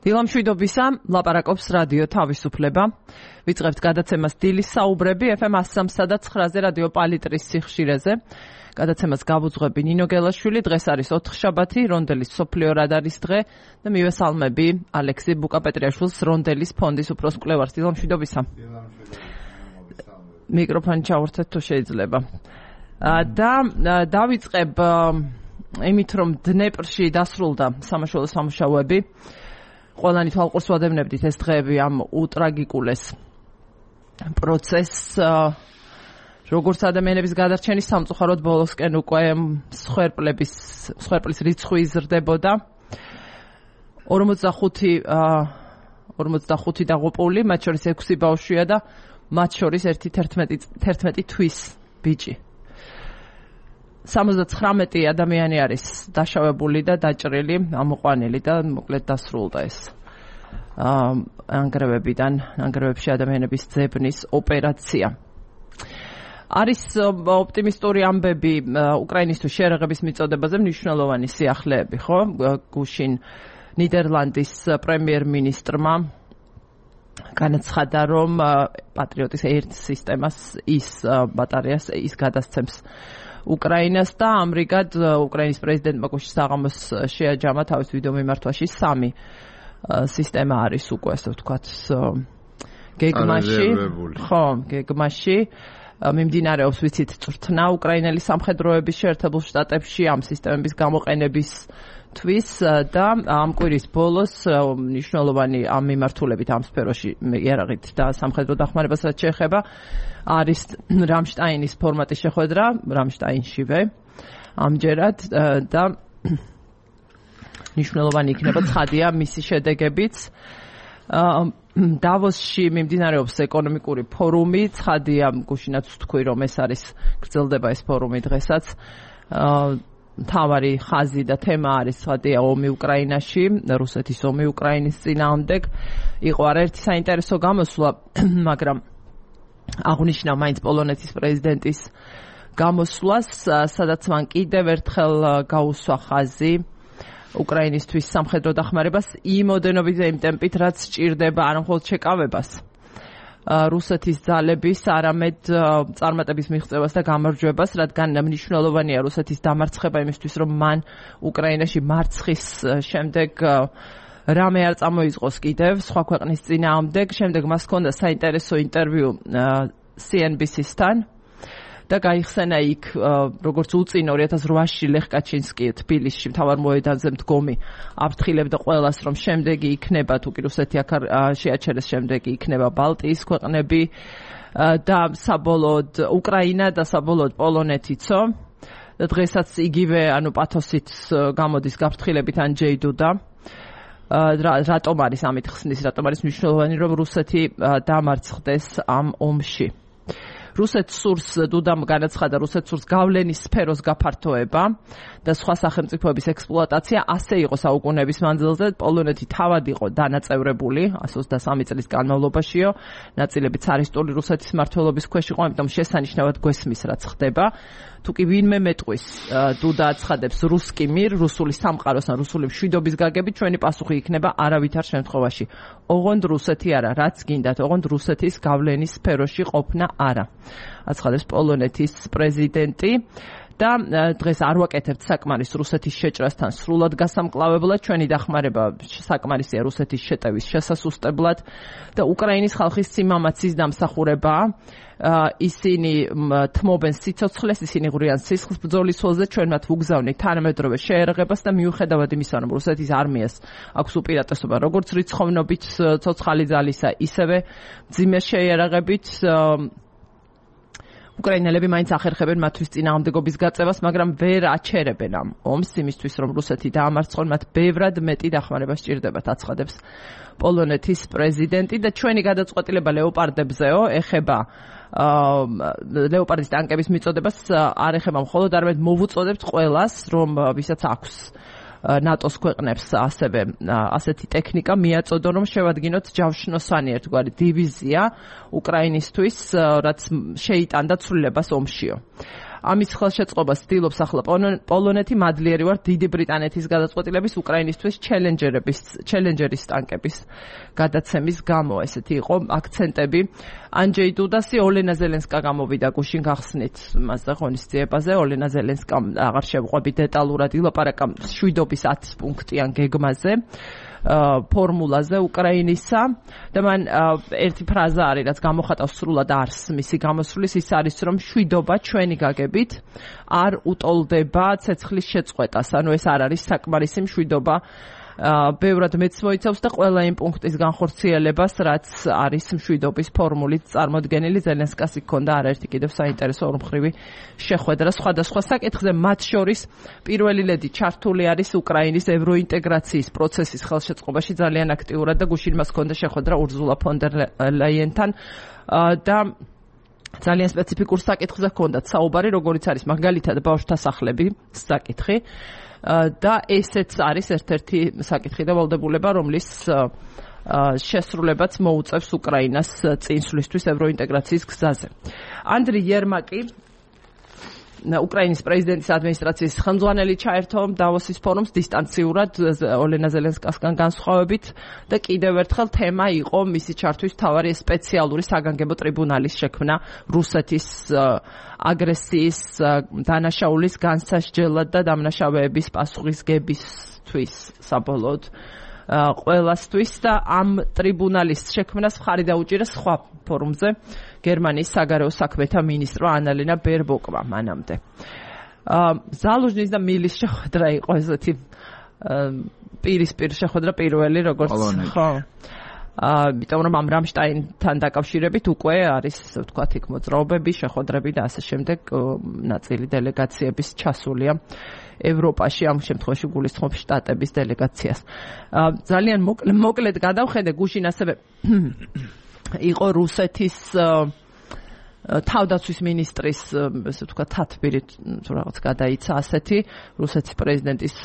დილამშვიდობისა, ლაპარაკობს რადიო თავისუფლება. ვიწყებთ გადაცემას დილის საუბრები FM 103.9-ზე რადიო პალიტრის სიხშირეზე. გადაცემას გავუძღვები ნინო გელაშვილი. დღეს არის ოთხშაბათი, რონდელის სოფლიო რადარის დღე და მივესალმები ალექსი ბუკაპეტრიაშვილს, რონდელის ფონდის უფროს მკვლევარს. დილამშვიდობისა. მიკროფონი ჩავერთეთ თუ შეიძლება. და დავიწყებ იმით, რომ დნეპრში დასრულდა სამაშველო სამუშაოები. ყველანი თვალყურს ვადევნებდით ეს დღეები ამ უტრაგიკულეს პროცესს, როგორც ადამიანების გადარჩენის სამწუხაროდ ბოლოსკენ უკვე მსხვერპლის რიცხვი იზრდებოდა. 45 დაღუპული, მათ შორის 6 ბავშვია და მათ შორის 11 თვის ბიჭი. 79 ადამიანი არის დაშავებული და დაჭრილი, ამოყვანილი და მოკლედ დასრულდა ეს ნანგრევებში ადამიანების ძებნის ოპერაცია. არის ოპტიმისტური ამბები უკრაინისთვის შეერაღების მიწოდებაზე, მნიშვნელოვანი სიახლეები, ხო? გუშინ ნიდერლანდის პრემიერ-მინისტრმა განაცხადა, რომ პატრიოტის ერთ სისტემას ბატარეას გადასცემს უკრაინას და ამრიგად უკრაინის პრეზიდენტმა გუშინ საღამოს შეაჯამა თავის ვიდეო მიმართვაში 3 სისტემა არის უკვე ასე ვთქვათ გეგმაში. ხო, გეგმაში მიმდინარეობს ვიცით წვრთნა უკრაინელი სამხედროების შეერთებულ შტატებში ამ სისტემების გამოყენებისთვის და ამ კვირის ბოლოს მნიშვნელოვანი ამ მიმართულებით ამ სფეროში იარაღით და სამხედრო დახმარებას რაც შეეხება არის რამშტაინის ფორმატის შეხვედრა რამშტაინშივე ამჯერად და მნიშვნელოვანი იქნება ცხადია მისი შედეგებიც. დავოსში მიმდინარეობს ეკონომიკური ფორუმი, ცხადია გუშინაც ვთქვი რომ ეს არის გრძელდება ეს ფორუმი დღესაც. მთავარი ხაზი და თემა არის ცხადია ომი უკრაინაში, რუსეთის ომი უკრაინის წინააღმდეგ. იყო არაერთი საინტერესო გამოსვლა, მაგრამ აღნიშნა მაინც პოლონეთის პრეზიდენტის გამოსვლას, სადაც მან კიდევ ერთხელ გაუსვა ხაზი უკრაინისთვის სამხედრო დახმარებას იმ ოდენობით და იმ ტემპით, რაც სჭირდება არა მხოლოდ შეკავებას რუსეთის ძალების, არამედ წარმატების მიღწევას და გამარჯვებას, რადგან მნიშვნელოვანია რუსეთის დამარცხება იმისთვის, რომ მან უკრაინაში მარცხის შემდეგ რამე არ წამოიწყოს კიდევ სხვა ქვეყნის წინააღმდეგ. შემდეგ მას ჰქონდა საინტერესო ინტერვიუ CNBC-სთან და გაიხსენა იქ როგორც უწინ 2008-ში ლეხ კაჩინსკი თბილისში მთავარ მოედანზე მდგომი აფრთხილებდა ყველას, რომ შემდეგი იქნება თუ კი რუსეთი აქ შეაჩერეს, შემდეგი იქნება ბალტიის ქვეყნები და საბოლოოდ უკრაინა და საბოლოოდ პოლონეთიცო. და დღესაც იგივე პათოსით გამოდის გაფრთხილებით ანჯეი დუდა. რატომ არის ამით ხსნის, რატომ არის მნიშვნელოვანი, რომ რუსეთი დამარცხდეს ამ ომში. რუსეთს სურს, დუდამ განაცხადა, რუსეთს სურს გავლენის სფეროს გაფართოება და სხვა სახელმწიფოების ექსპლუატაცია ასე იყო საუკუნეების მანძილზე. პოლონეთი თავად იყო დანაწევრებული 123 წლის განმავლობაშიო, ნაწილები ცარისტული რუსეთის მმართველობის ქვეშ იყო, ამიტომ შესანიშნავად გვესმის რაც ხდება. თუ კი ვინმე მეტყვის, დუდა აცხადებს რუსკი მირ, რუსული სამყაროს ან რუსული მშვიდობის გაგებით, ჩვენი პასუხი იქნება არავითარ შემთხვევაში. ოღონდ რუსეთი არა, რაც გინდათ, ოღონდ რუსეთის გავლენის სფეროში ყოფნა არა. აცხადებს პოლონეთის პრეზიდენტი. და დღეს არ ვაკეთებთ საკმარის რუსეთის შეჭრასთან სრულად გასამკლავებლად, ჩვენი დახმარება საკმარისია რუსეთის შეტევის შესასუსტებლად და უკრაინის ხალხის სიმამაცის დამსახურებაა. ისინი თმობენ სიცოცხლეს, ისინი ღვრიან სისხლის ბრძოლის ველზე, ჩვენ მათ ვუგზავნით თანამედროვე შეერაღებას და მიუხედავად იმისა, რომ რუსეთის არმიას აქვს უპირატესობა როგორც რიცხოვნობით ცოცხალი ძალისა, ისევე მძიმე შეერაღებით უკრაინელები მაინც ახერხებენ მათთვის წინააღმდეგობის გაწევას, მაგრამ ვერ აჩერებენ ამ ომს იმისთვის, რომ რუსეთი დაამარცხონ, მათ ბევრად მეტი დახმარება სჭირდებათ, აცხადებს პოლონეთის პრეზიდენტი და ჩვენი გადაწყვეტილება ლეოპარდებზეო ეხება ლეოპარდის ტანკების მიწოდებას არ ეხება მხოლოდ, არამედ მოვუწოდებთ ყველას, რომ ვისაც აქვს ნატოს ქვეყნებს ასევე ასეთი ტექნიკა მიაწოდონ, რომ შევადგინოთ ჯავშნოსანი ერთგვარი დივიზია უკრაინისთვის, რაც შეიტანდა ცვლილებას ომშიო. ამის ხელშეწყობას ცდილობს ახლა პოლონეთი, მადლიერი ვარ დიდი ბრიტანეთის გადაწყვეტილების უკრაინისთვის ჩელენჯერის ტანკების გადაცემის გამო. ესეთი იყო აქცენტები. ანჯეი დუდასი, ოლენა ზელენსკა გამოვიდა გუშინ გახსნით მასზე ღონისძიებაზე. ოლენა ზელენსკამ აღარ შევყვები დეტალურად ილაპარაკა მშვიდობის 10 პუნქტიან გეგმაზე. ფორმულაზე უკრაინისა და მან ერთი ფრაზა არის, რაც გამოხატავს სრულად არს მისი გამოსვლის, ის არის, რომ მშვიდობა ჩვენი გაგებით არ უტოლდება ცეცხლის შეწყვეტას. ანუ ეს არ არის საკმარისი მშვიდობა. ბევრად მეც მოიცავს და ყველა იმ პუნქტის განხორციელებას, რაც არის მშვიდობის ფორმულით წარმოდგენილი. ზელენსკას იქონდა არაერთი კიდევ საინტერესო ორმხრივი შეხვედრა სხვადასხვა საკითხზე, მათ შორის პირველი ლედი ჩართული არის უკრაინის ევროინტეგრაციის პროცესის ხელშეწყობაში ძალიან აქტიურად და გუშინ მას ჰქონდა შეხვედრა ურზულა ფონ დერ ლაიენთან და ძალიან სპეციფიკურ საკითხზე ჰქონდათ საუბარი, როგორიც არის მაგალითად ბავშვთა სახლები საკითხი. და ესეც არის ერთ-ერთი საკითხი და ვალდებულება, რომლის შესრულებაც მოუწევს უკრაინას წინსვლისთვის ევროინტეგრაციის გზაზე. ანდრი იერმაკი, უკრაინის პრეზიდენტის ადმინისტრაციის ხელმძღვანელი, ჩაერთო დავოსის ფორუმს დისტანციურად ოლენა ზელენსკასგან განსხვავებით და კიდევ ერთხელ თემა იყო მისი ჩართვის მთავარი სპეციალური საგანგებო ტრიბუნალის შექმნა რუსეთის აგრესიის დანაშაულის განსასჯელად და დამნაშავეების პასუხისგებისთვის საბოლოოდ ყველასთვის და ამ ტრიბუნალის შექმნას მხარი დაუჭირა სხვა ფორუმზე გერმანიის საგარეო საქმეთა მინისტრმა ანალენა ბერბოკმა მანამდე. ზალუჟნის და მილის შეხვედრა იყო ესეთი პირისპირ შეხვედრა პირველი როგორც ხო. იმიტომ რომ ამ რამშტაინთან დაკავშირებით უკვე არის ვთქვათ იქ მოძრაობები, შეხვედრები და ასე შემდეგ ნაწილი დელეგაციების ჩასულია ევროპაში, ამ შემთხვევაში გულისხმობს შტატების დელეგაციას. ძალიან მოკლედ გადავხედე, გუშინ ასევე იყო რუსეთის თავდაცვის მინისტრის ესე ვთქვათ თათბირით რაღაც გადაიცა ასეთი რუსეთის პრეზიდენტის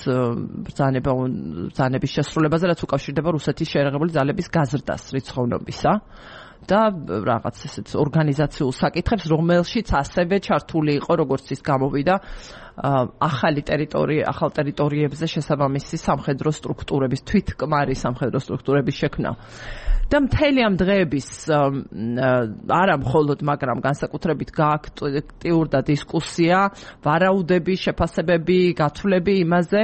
ბრძანების შესრულებაზე, რაც უკავშირდება რუსეთის შეერაღებული ძალების გაზრდას რიცხოვნობისა და რაღაც ესეთ ორგანიზაციულ საკითხებს, რომელშიც ასევე ჩართული იყო, როგორც ის გამოვიდა, ახალ ტერიტორიებზე შესაბამისი სამხედრო სტრუქტურების, თვითკმარი სამხედრო სტრუქტურების შექმნა. და მთელი ამ დღეების არა მხოლოდ, მაგრამ განსაკუთრებით გააქტიურდა დისკუსია, ვარაუდები, შეფასებები, გათვლები იმაზე,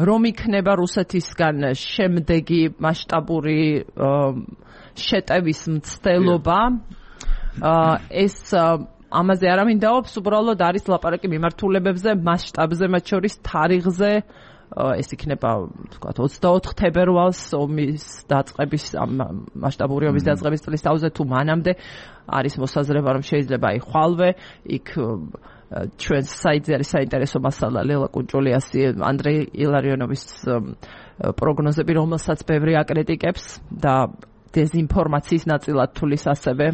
რომ იქნება რუსეთისგან შემდეგი მასშტაბური შეტევის მცდელობა. ეს ამაზე არ ამინდაობს, უბრალოდ არის ლაპარაკი მიმართულებებზე, მასშტაბზე, მათ შორის თარიღზე. ეს იქნება, ვთქვათ, 24 თებერვალს ომის დაწყების, მასშტაბური ომის დაწყების წლის თავზე თუ მანამდე არის მოსაზრება, რომ შეიძლება იხვალვე. იქ ჩვენს საიტზე არის საინტერესო მასალა ლელა კუნჭულიასი, ანდრეი ილარიონოვის პროგნოზები, რომელსაც ბევრი აკრიტიკებს და დეზინფორმაციის ნაწილად თulis ასევე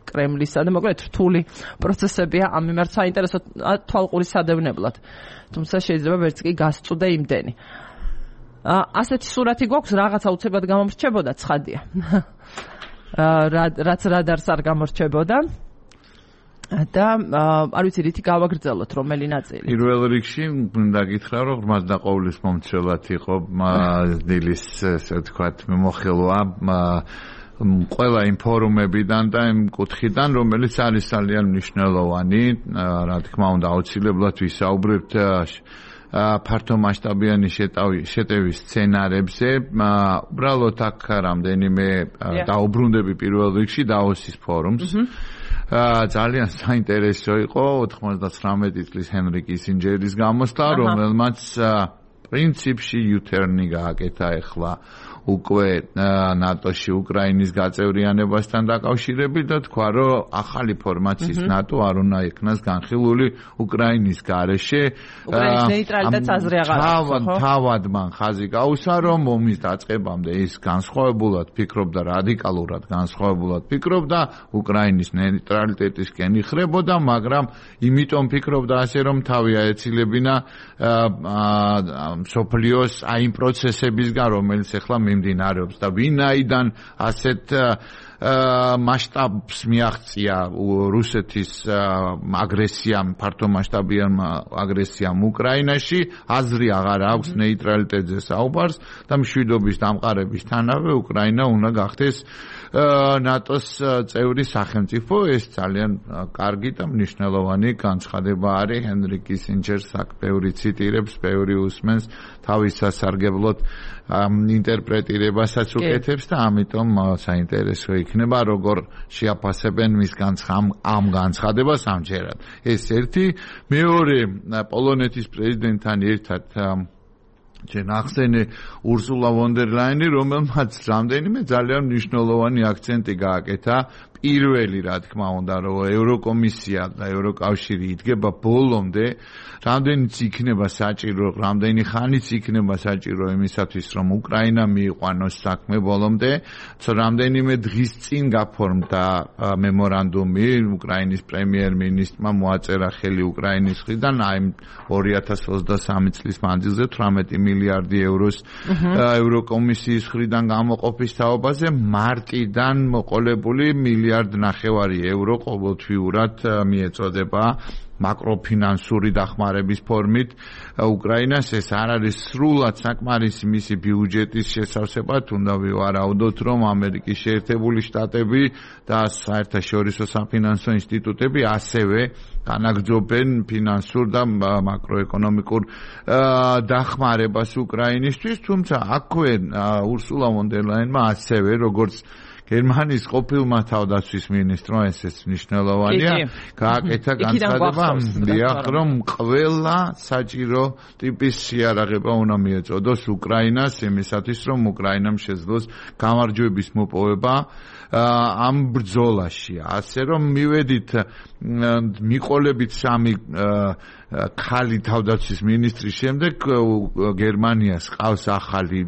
კრემლისა და მოკლედ რთული პროცესებია ამ მიმართ საინტერესო თვალყური სადევნებლად. თუმცა შეიძლება ვერც კი გასწუდე იმდენი. ასეთი სურათი გვაქვს, რაღაცა უცებად გამომრჩებოდა, ცხადია. რაც რადარს არ გამორჩებოდა. და არ ვიცი რითი გავაგრძელოთ რომელი ნაწილი. პირველ რიგში მინდა გითხრა, რომ ღრმად დაყოვილის მომცველად იყო დილის ესე ვთქვათ მიმოხილვა ყველა იმ ფორუმებიდან და იმ კუთხიდან, რომელიც არის ძალიან მნიშვნელოვანი, რა თქმა უნდა, აუცილებლად ვისაუბრებთ ფართო მასშტაბიანი შეტევის სცენარებზე. უბრალოდ აქ რამდენიმე დაუბრუნდები პირველ რიგში დავოსის ფორუმს. ძალიან საინტერესო იყო 99 წლის ჰენრი კისინჯერის გამოსვლა, რომელმაც პრინციპში U-turn-ი გააკეთა ახლა უკვე ნატოში უკრაინის გაწევრიანებასთან დაკავშირებით და თქვა, რომ ახალი ფორმაციის ნატო არ უნდა იქნას განხილული უკრაინის გარეშე. უკრაინის ნეიტრალიტეტს აზრი აღარ აქვს. თავად მან ხაზი გაუსვა, რომ ომის დაწყებამდე ის განსხვავებულად ფიქრობდა, რადიკალურად განსხვავებულად ფიქრობდა, უკრაინის ნეიტრალიტეტისკენ იხრებოდა, მაგრამ იმიტომ ფიქრობდა ასე, რომ თავი აეცილებინა მსოფლიოს აი იმ პროცესებისგან, რომელიც ახლა მიმდინარეობს და ვინაიდან ასეთ მასშტაბს მიაღწია რუსეთის აგრესიამ, ფართო მასშტაბიან აგრესიამ უკრაინაში, აზრი აღარ აქვს ნეიტრალიტეტზე საუბარს და მშვიდობის დამყარებისთანავე უკრაინა უნდა გახდეს ნატოს წევრი სახელმწიფო. ეს ძალიან კარგი და მნიშვნელოვანი განცხადება არის. ჰენრი კისინჯერს აქ ბევრი ციტირებს, ბევრი უსმენს, თავის სასარგებლოდ ინტერპრეტირებასაც უკეთებს და ამიტომ საინტერესო იქნება როგორ შეაფასებენ მის ამ განცხადებას ამჯერად. ეს ერთი. მეორე, პოლონეთის პრეზიდენტთან ერთად ჯერ ახსენე ურსულა ვონ დერ ლაინი, რომელმაც რამდენიმე ძალიან მნიშვნელოვანი აქცენტი გააკეთა. პირველი, რა თქმა უნდა, რომ ევროკომისია და ევროკავშირი იდგება ბოლომდე, რამდენიც იქნება საჭირო, რამდენი ხანიც იქნება საჭირო იმისათვის, რომ უკრაინა მიიყვანოს საქმე ბოლომდე, რამდენიმე დღის წინ გაფორმდა მემორანდუმი უკრაინის პრემიერ-მინისტრმა მოაწერა ხელი უკრაინის მხრიდან, აი 2023 წლის მანძილზე 18 მილიარდი ევროს ევროკომისიის მხრიდან გამოყოფის თაობაზე, მარტიდან მოყოლებული მილიარდ ნახევარი ევრო ყოველთვიურად მიეწოდება მაკროფინანსური დახმარების ფორმით უკრაინას. ეს არ არის სრულად საკმარისი მისი ბიუჯეტის შესავსებად. უნდა ვივარაუდოთ, რომ ამერიკის შეერთებული შტატები და საერთაშორისო საფინანსო ინსტიტუტები ასევე განაგრძობენ ფინანსურ და მაკროეკონომიკურ დახმარებას უკრაინისთვის. თუმცა აქვე ურსულა ვონ დერ ლაინმა ასევე როგორც გერმანიის ყოფილმა თავდაცვის მინისტრმა, ეს მნიშვნელოვანია, გააკეთა განცხადება, რომ ყველა საჭირო ტიპის შეარაღება უნდა მიეწოდოს უკრაინას, იმისათვის, რომ უკრაინამ შეძლოს გამარჯვების მოპოვება ამ ბრძოლაში. ასე რომ მივედით მიყოლებით სამი ქალი თავდაცვის მინისტრის შემდეგ გერმანიას ყავს ახალი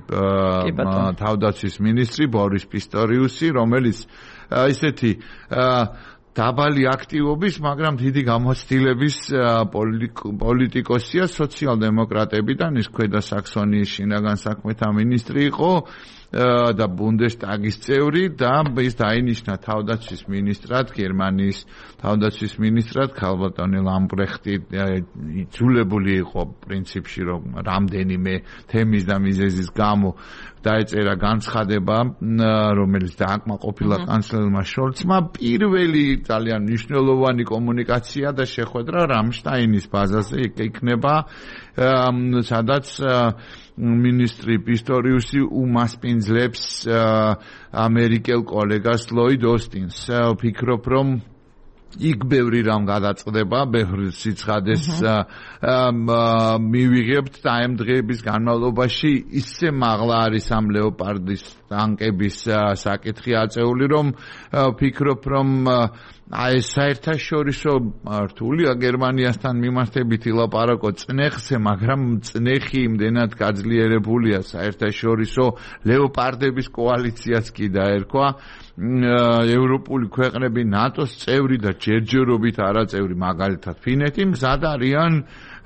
თავდაცვის მინისტრი ბორის პისტორიუსი, რომელიც ისეთი დაბალი აქტივობის, მაგრამ დიდი გამოცდილების პოლიტიკოსია, სოციალ-დემოკრატებიდან, ის ქვედა საქსონიის შინაგან საქმეთა მინისტრი იყო და ბუნდესტაგის წევრი და ის დაინიშნა თავდაცვის მინისტრად, გერმანიის თავდაცვის მინისტრად. ქალბატონი ლამბრეხტი იძულებული იყო პრინციპში, რომ რამდენიმე თემის და მიზეზის გამო დაეწერა განცხადება, რომელიც დააკმაყოფილა კანცლერმა შოლცმა. პირველი ძალიან მნიშვნელოვანი კომუნიკაცია და შეხვედრა რამშტაინის ბაზაზე იქნება, სადაც მინისტრი პისტორიუსი უმასპინძლებს ამერიკელ კოლეგას ლოიდ ოსტინს. ვფიქრობ, რომ იქ ბევრი რამ გადაწყდება, ბევრი სიცხადეს მივიღებთ და ამ დღეების განმავლობაში ისე მაღლა არის ამ ლეოპარდის ტანკების საკითხი აწეული, რომ ვფიქრობ, რომ აი საერთაშორისო რთულია გერმანიასთან მიმართებით ილაპარაკო წნეხზე, მაგრამ წნეხი იმდენად გაძლიერებულია საერთაშორისო ლეოპარდების კოალიციაც კი დაერქვა. ევროპული ქვეყნები ნატოს წევრი და ჯერჯერობით არაწევრი, მაგალითად ფინეთი, მზად არიან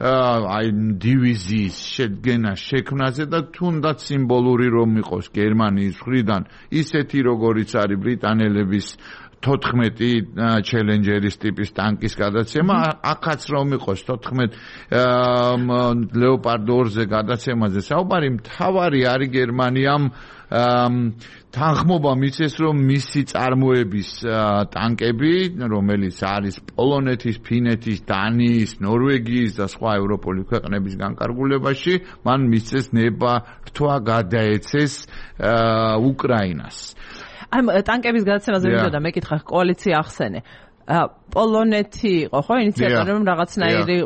აი დივიზიის შედგენა შექმნაზე და თუნდაც სიმბოლური რომ იყოს გერმანიის მხრიდან ისეთი როგორიც არის ბრიტანელების 14 ჩელენჯერის ტიპის ტანკის გადაცემა, აქაც რომ იყოს 14 ლეოპარდ 2-ზე გადაცემაზე საუბარი, მთავარი არის გერმანიამ თანხმობა მიცეს, რომ მისი წარმოების ტანკები, რომელიც არის პოლონეთის, ფინეთის, დანიის, ნორვეგიის და სხვა ევროპული ქვეყნების განკარგულებაში, მან მისცეს ნება რთვა გადაეცეს უკრაინას. ამ ტანკების გადაცემაზე მინდოდა მეკითხა, კოალიცია ახსენე. პოლონეთი იყო ხო ინიციატორი, რომ რაღაცნაირი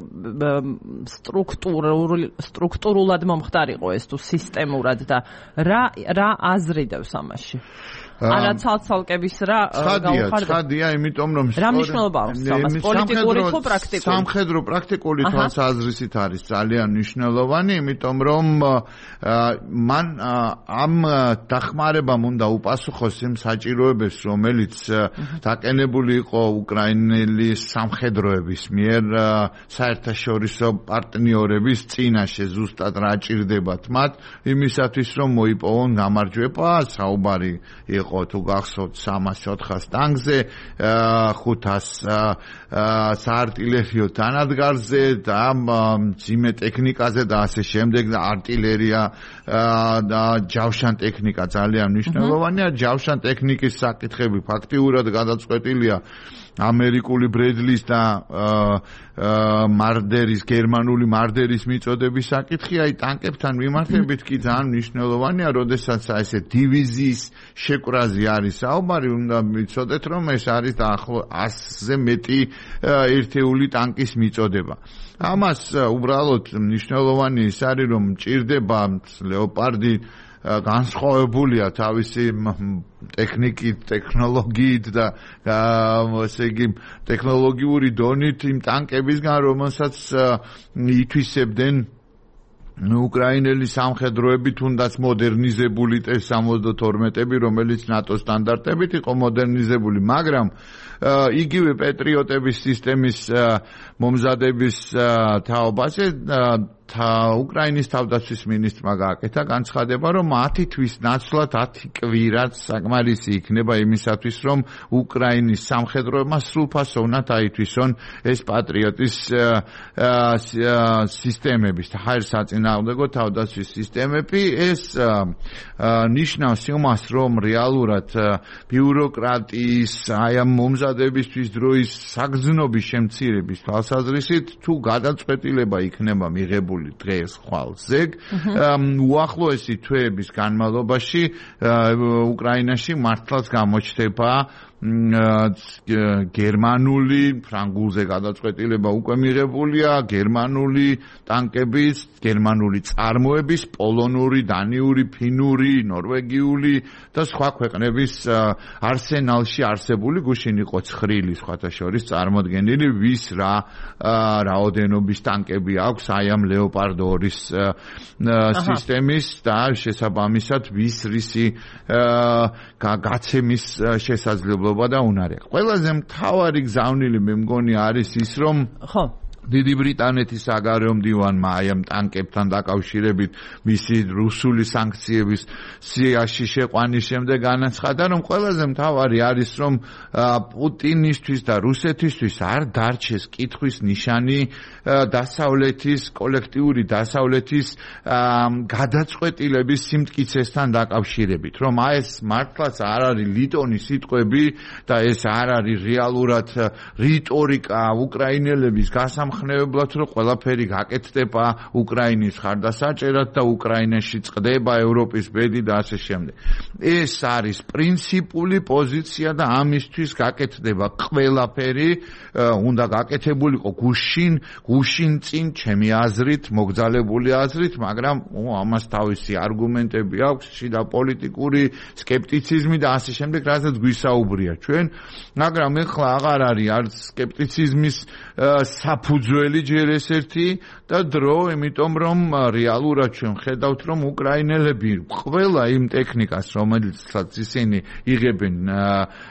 სტრუქტურულად მომხდარიყო ეს თუ სისტემურად და რა აზრიდევს ამაში? არა ცალკების რა გაუხარდა. ცხადია, იმიტომ რომ რა მნიშვნელობა აქვს ამას პოლიტიკური თუ პრაქტიკული? სამხედრო პრაქტიკული თვალსაზრისით არის ძალიან მნიშვნელოვანი, იმიტომ რომ მან ამ დახმარებამ უნდა უპასუხოს იმ საჭიროებებს, რომელიც დაკენებული იყო უკრაინელი სამხედროების მიერ საერთაშორისო პარტნიორების წინაშე, ზუსტად რა ჭირდებათ მათ, იმისათვის რომ მოიპოვონ გამარჯვება, საუბარი იყო იყო თუ გახსოვთ 300-400 ტანგზე, 500 საარტილერიო თანადგარზე და მძიმე ტექნიკაზე და ასე შემდეგ და артиლერია და ჯავშან ტექნიკა ძალიან მნიშვნელოვანია. ჯავშან ტექნიკის საკითხები ფაქტიურად გადაწყვეტილია ამერიკული ბრედლის და მარდერის, გერმანული მარდერის მიწოდების საკითხი, აი ტანკებთან მიმართებით კი ძალიან მნიშვნელოვანია, როდესაც ესე დივიზიის შეკვრაზე არის საუბარი, უნდა ვიცოდეთ, რომ ეს არის დაახლოებით 100-ზე მეტი ერთეული ტანკის მიწოდება. ამას უბრალოდ მნიშვნელოვანი ის არის, რომ მჭირდება ლეოპარდი განსხვავებულია თავისი ტექნიკით, ტექნოლოგიით და ასე იგი ტექნოლოგიური დონით იმ ტანკებისგან, რომელსაც ითვისებდნენ უკრაინელი სამხედროები, თუნდაც მოდერნიზებული T-72-ები, რომელიც ნატოს სტანდარტებით იყო მოდერნიზებული, მაგრამ იგივე პეტრიოტების სისტემის მომზადების თაობაზე უკრაინის თავდაცვის მინისტრმა გააკეთა განცხადება, რომ 10 თვის ნაცვლად 10 კვირაც საკმარისი იქნება იმისათვის, რომ უკრაინის სამხედროებმა სრულფასოვნად აითვისონ ეს პატრიოტის სისტემების, ჰაერსაწინააღმდეგო თავდაცვის სისტემები. ეს ნიშნავს იმას, რომ რეალურად ბიუროკრატიის აი ამ მომზადებისთვის დროის საგრძნობის შემცირების თვალსაზრისით თუ გადაწყვეტილება იქნება მიღებული დღეს ხვალ ზეგ უახლოესი თვეების განმავლობაში უკრაინაში მართლაც გამოჩნდება გერმანული, ფრანგულზე გადაწყვეტილება უკვე მიღებულია, გერმანული ტანკების, გერმანული წარმოების, პოლონური, დანიური, ფინური, ნორვეგიული და სხვა ქვეყნების არსენალში არსებული გუშინ იყო ცხრილი სხვათა შორის წარმოდგენილი, ვის რა რაოდენობის ტანკები აქვს აი ამ ლეოპარდ 2-ის სისტემის და შესაბამისად ვის რისი გაცემის შესაძლებლობა და უნარია. ყველაზე მთავარი გზავნილი მე მგონი არის ის, რომ დიდი ბრიტანეთის საგარეო მდივანმა აი ამ ტანკებთან დაკავშირებით მისი რუსული სანქციების სიაში შეყვანის შემდეგ განაცხადა, რომ ყველაზე მთავარი არის, რომ პუტინისთვის და რუსეთისთვის არ დარჩეს კითხვის ნიშანი დასავლეთის, კოლექტიური დასავლეთის გადაწყვეტილების სიმტკიცესთან დაკავშირებით, რომ აი ეს მართლაც არ არის ლიტონის სიტყვები და ეს არ არის რეალურად რიტორიკა უკრაინელების გასამხნევებლად, რომ ყველაფერი გაკეთდება უკრაინის ხარდასაჭერად და უკრაინაში წყდება ევროპის ბედი და ასე შემდეგ. ეს არის პრინციპული პოზიცია და ამისთვის გაკეთდება ყველაფერი, უნდა გაკეთებულიყო გუშინ წინ ჩემი აზრით, მოგზალებული აზრით, მაგრამ ამას თავისი არგუმენტები აქვს, შიდა პოლიტიკური სკეპტიციზმი და ასე შემდეგ, რასაც გვისაუბრია ჩვენ, მაგრამ ეხლა აღარ არის არც სკეპტიციზმის საფუძველი ჯერ ეს ერთი და დრო, იმიტომ რომ რეალურად ჩვენ ხედავთ, რომ უკრაინელები ყველა იმ ტექნიკას, რომელსაც ისინი იღებენ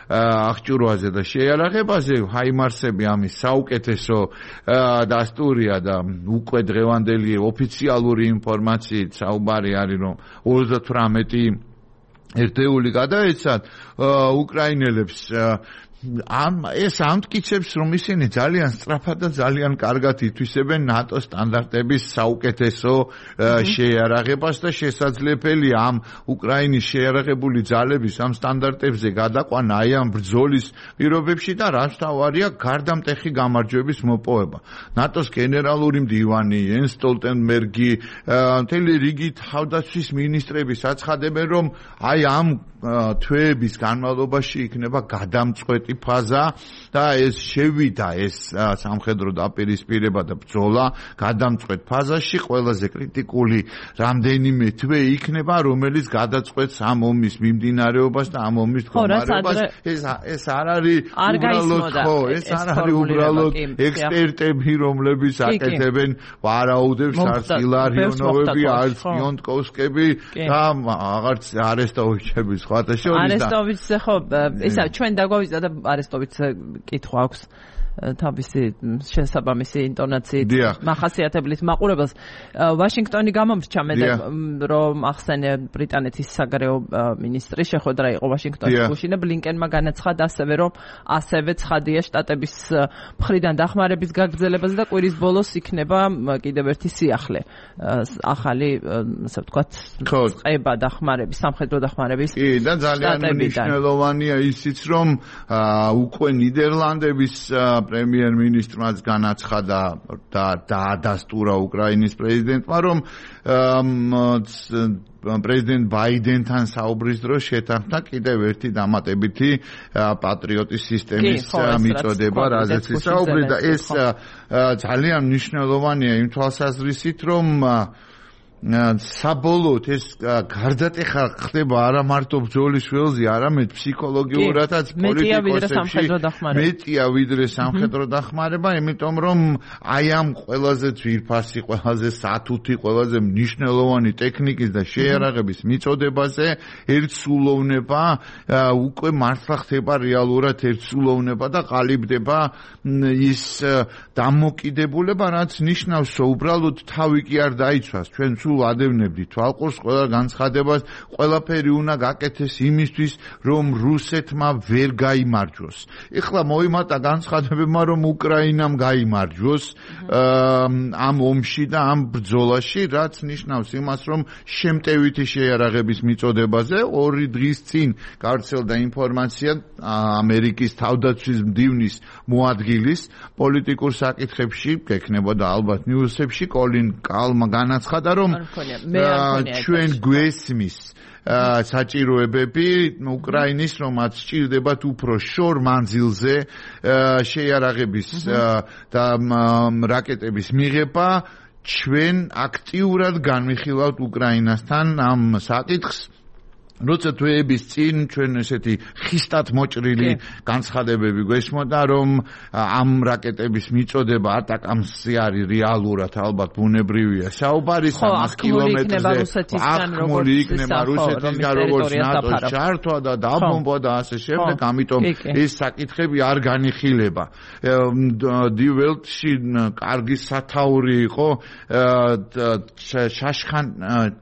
აღჭურვაზე და შეიარაღებაზე, ჰაიმარსები ამის საუკეთესო დასტურია და უკვე დღევანდელი ოფიციალური ინფორმაციით საუბარი არის, რომ 38 ერთეული გადაეცათ უკრაინელებს ეს ამტკიცებს, რომ ისინი ძალიან სწრაფად და ძალიან კარგად ითვისებენ ნატო სტანდარტების საუკეთესო შეიარაღებას და შესაძლებელია ამ უკრაინის შეიარაღებული ძალების ამ სტანდარტებზე გადაყვანა აი ამ ბრძოლის პირობებში და რაც თავარია გარდამტეხი გამარჯვების მოპოვება. ნატოს გენერალური მდივანი იენს სტოლტენბერგი, მთელი რიგი თავდაცვის მინისტრები საცხადებენ, რომ აი ამ თვეების განმავლობაში იქნება გადამწყვეტი ფაზა და ეს შევიდა ეს სამხედრო დაპირისპირება და ბრძოლა გადამწყვეტ ფაზაში, ყველაზე კრიტიკული რამდენიმე თვე იქნება, რომელიც გადაწყვეტს ამ ომის მიმდინარეობას და ამ ომის მდგომარეობას. ეს არ არის უბრალოდ ეს არ არის უბრალოდ ექსპერტები, რომლებიც აკეთებენ ვარაუდებს, არც ილარიონოვები, არც პიონტკოვსკები და აღარც არესტოვიჩები. არესტოვიჩზე ხო, ისა ჩვენ დაგვავიდა და არესტოვიც კითხვა აქვს თავისი შესაბამისი ინტონაციით მახასიათებლით მაყურებელს. ვაშინგტონი გამომრჩა მე რომ ახსენე ბრიტანეთის საგარეო მინისტრი შეხვედრა იყო ვაშინგტონის გუშინე ბლინკენმა განაცხადა ასევე რომ ასევე ცხადია შტატების მხრიდან დახმარების გაგრძელებაზე და კვირის ბოლოს იქნება კიდევ ერთი სიახლე ახალი ასე ვთქვათ წება დახმარების სამხედრო დახმარების კი და ძალიან მნიშვნელოვანია ისიც რომ უკვე ნიდერლანდების პრემიერ-მინისტრმაც განაცხადა და დაადასტურა უკრაინის პრეზიდენტმა რომ პრეზიდენტ ბაიდენთან საუბრის დროს შეთანხმდა კიდევ ერთი დამატებითი პატრიოტის სისტემის მიწოდება, რაზეც საუბრი და ეს ძალიან მნიშვნელოვანია იმ თვალსაზრისით, რომ საბოლოოდ ეს გარდატეხა ხდება არა მარტო ბრძოლის ველზე, არამედ ფსიქოლოგიურადაც პოლიტიკოსებში მეტია ვიდრე სამხედრო დახმარება, იმიტომ რომ აი ამ ყველაზე ძვირფასი, ყველაზე სათუთი, ყველაზე მნიშვნელოვანი ტექნიკის და შეიარაღების მიწოდებაზე ერთსულოვნება უკვე მართლა ხდება რეალურად ერთსულოვნება და ყალიბდება ის დამოკიდებულება, რაც ნიშნავს, რომ უბრალოდ თავი კი არ დაიცვას, ჩვენ სულ ადევნებდით თვალყურს ყველა განცხადებას, ყველაფერი უნდა გაკეთდეს იმისთვის, რომ რუსეთმა ვერ გაიმარჯვოს. ეხლა მოიმატა განცხადებებმა, რომ უკრაინამ გაიმარჯვოს ამ ომში და ამ ბრძოლაში, რაც ნიშნავს იმას, რომ შემტევითი შეიარაღების მიწოდებაზე 2 დღის წინ გავრცელდა ინფორმაცია ამერიკის თავდაცვის მდივნის მოადგილის პოლიტიკურ საკითხებში, გექნებოდა ალბათ ნიუსებში, კოლინ კალმა განაცხადა, რომ ჩვენ გვესმის საჭიროებები უკრაინის, რომაც სჭირდებათ უფრო შორ მანძილზე შეიარაღების და რაკეტების მიღება, ჩვენ აქტიურად განვიხილავთ უკრაინასთან ამ საკითხს. როცა თვეების წინ ჩვენ ესეთი ხისტად მოჭრილი განცხადებები გვესმოდა, რომ ამ რაკეტების მიწოდება ატაკამსი არის რეალურად ალბათ ბუნებრივია საუბარი 300 კილომეტრზე ახმული იქნება რუსეთისგან როგორც ნატოს ჩართვა და დაბომბვა და ასე შემდეგ, ამიტომ ეს საკითხები არ განიხილება. დილველტში კარგი სათაური იყო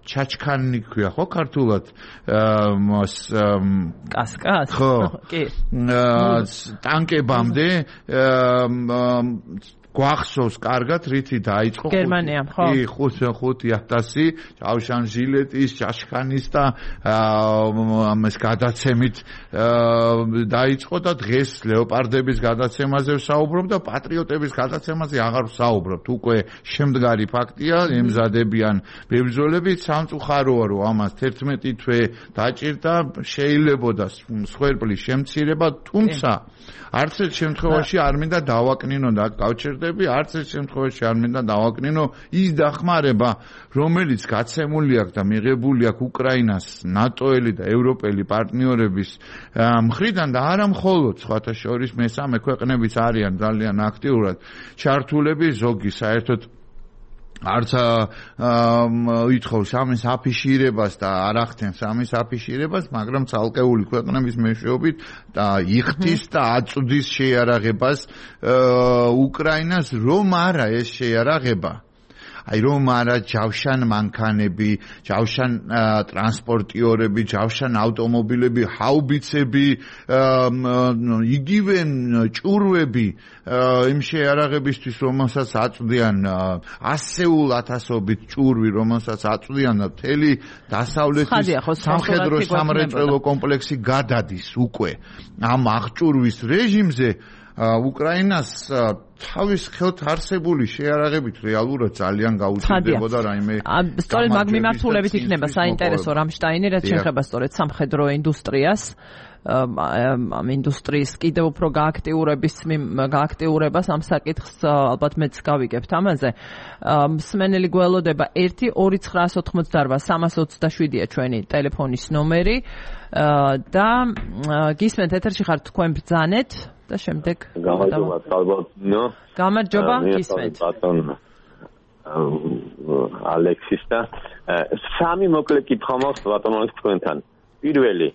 ჩაჩქანი ქვია ხო ქართულად კასკას კი ტანკებამდე გვახსოვს კარგად რითი დაიწყო გერმანიამ ხო 5000 ჯავშან ჟილეტის ჩაშქანის და ამას გადაცემით დაიწყო და დღეს ლეოპარდების გადაცემაზე ვსაუბრობ და პატრიოტების გადაცემაზე აღარ ვსაუბრობ. უკვე შემდგარი ფაქტია, ემზადებიან ბებრძოლებით, სამწუხაროა რომ ამას 11 თვე დაჭირდა, შეიძლებოდა მსხვერპლის შემცირება, თუმცა არც ერთ შემთხვევაში არ მინდა დავაკნინო და გავჩერდები, არც ერთ შემთხვევაში არ მინდა დავაკნინო ის დახმარება, რომელიც გაცემული აქვს და მიღებული აქვს უკრაინას ნატოელი და ევროპელი პარტნიორების მხრიდან და არა მხოლოდ სხვათა შორის მესამე ქვეყნებიც არიან ძალიან აქტიურად ჩართულები, ზოგი საერთოდ არც ითხოვს ამის აფიშირებას და არ ახდენს ამის აფიშირებას, მაგრამ ცალკეული ქვეყნების მეშვეობით და იხდის და აწვდის შეიარაღებას უკრაინას, რომ არა ეს შეიარაღება აი რომ არა ჯავშან მანქანები, ჯავშან ტრანსპორტიორები, ჯავშან ავტომობილები, ჰაუბიცები, იგივე ჭურვები იმ შეიარაღებისთვის, რომელსაც აწვდიან ასეულ ათასობით ჭურვი, რომელსაც აწვდიან და მთელი დასავლეთის სამხედრო სამრეწველო კომპლექსი გადადის უკვე ამ აღჭურვის რეჟიმზე. უკრაინას თავის ხელთ არსებული შეიარაღებით რეალურად ძალიან გაუჭირდებოდა რაიმე. სწორედ მაგ მიმართულებით იქნება საინტერესო რამშტაინი, რაც შეეხება სწორედ სამხედრო ინდუსტრიას. ამ ინდუსტრიის კიდევ უფრო გააქტიურებას ამ საკითხს ალბათ მეც გავიგებთ ამაზე. მსმენელი გველოდება 1-2988-327-ია ჩვენი ტელეფონის ნომერი და გისმენთ ეთერში ხართ თქვენ ბრძანეთ და შემდეგ გამარჯობა გისმენთ ალექსის და სამი მოკლე კითხვა მაქვს ბატონო თქვენთან. პირველი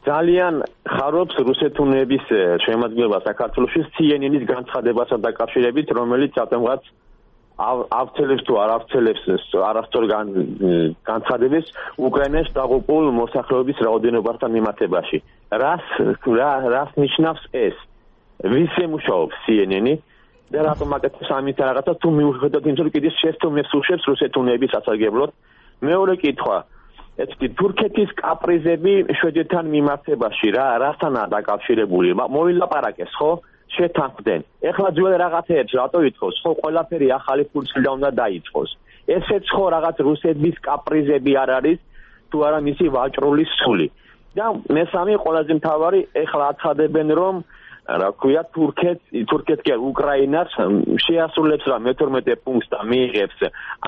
ძალიან ხარობს რუსეთუნების შემოადგენლობა საქართველოში CNN-ის განცხადებასა დაკავშირებით, რომელიც ათემღაც ავცელებს თუ არ ავცელებს არასწორ განცხადებას უკრაინაში დაღუპულ მოსახლეობის რაოდენობასთან მიმართებაში. რას ნიშნავს ეს? ვის ემუშაობს CNN-ი და რატომ აკეთებს ამით რაღაცა თუ მიუხედავად იმისა, რომ კიდევ შეცდომებს უშვებს რუსეთუნების სასარგებლოდ? მეორე კითხვა. თურქეთის კაპრიზები შვედეთთან მიმართებაში რასთანაა დაკავშირებული? მოილაპარაკეს, ხო? შეთანხმდნენ. ეხლა ძველ რაღაცეებს რატო ითხოვს? ხო, ყველაფერი ახალი ფურცლიდან უნდა დაიწყოს. ესეც ხო რაღაც რუსეთის კაპრიზები არ არის, თუ არა მისი ვაჭრული სული. და მესამე ყველაზე მთავარი, ეხლა აცხადებენ, რომ რა ქვია, თურქეთი უკრაინას შეასრულებს რა 12 პუნქტს და მიიღებს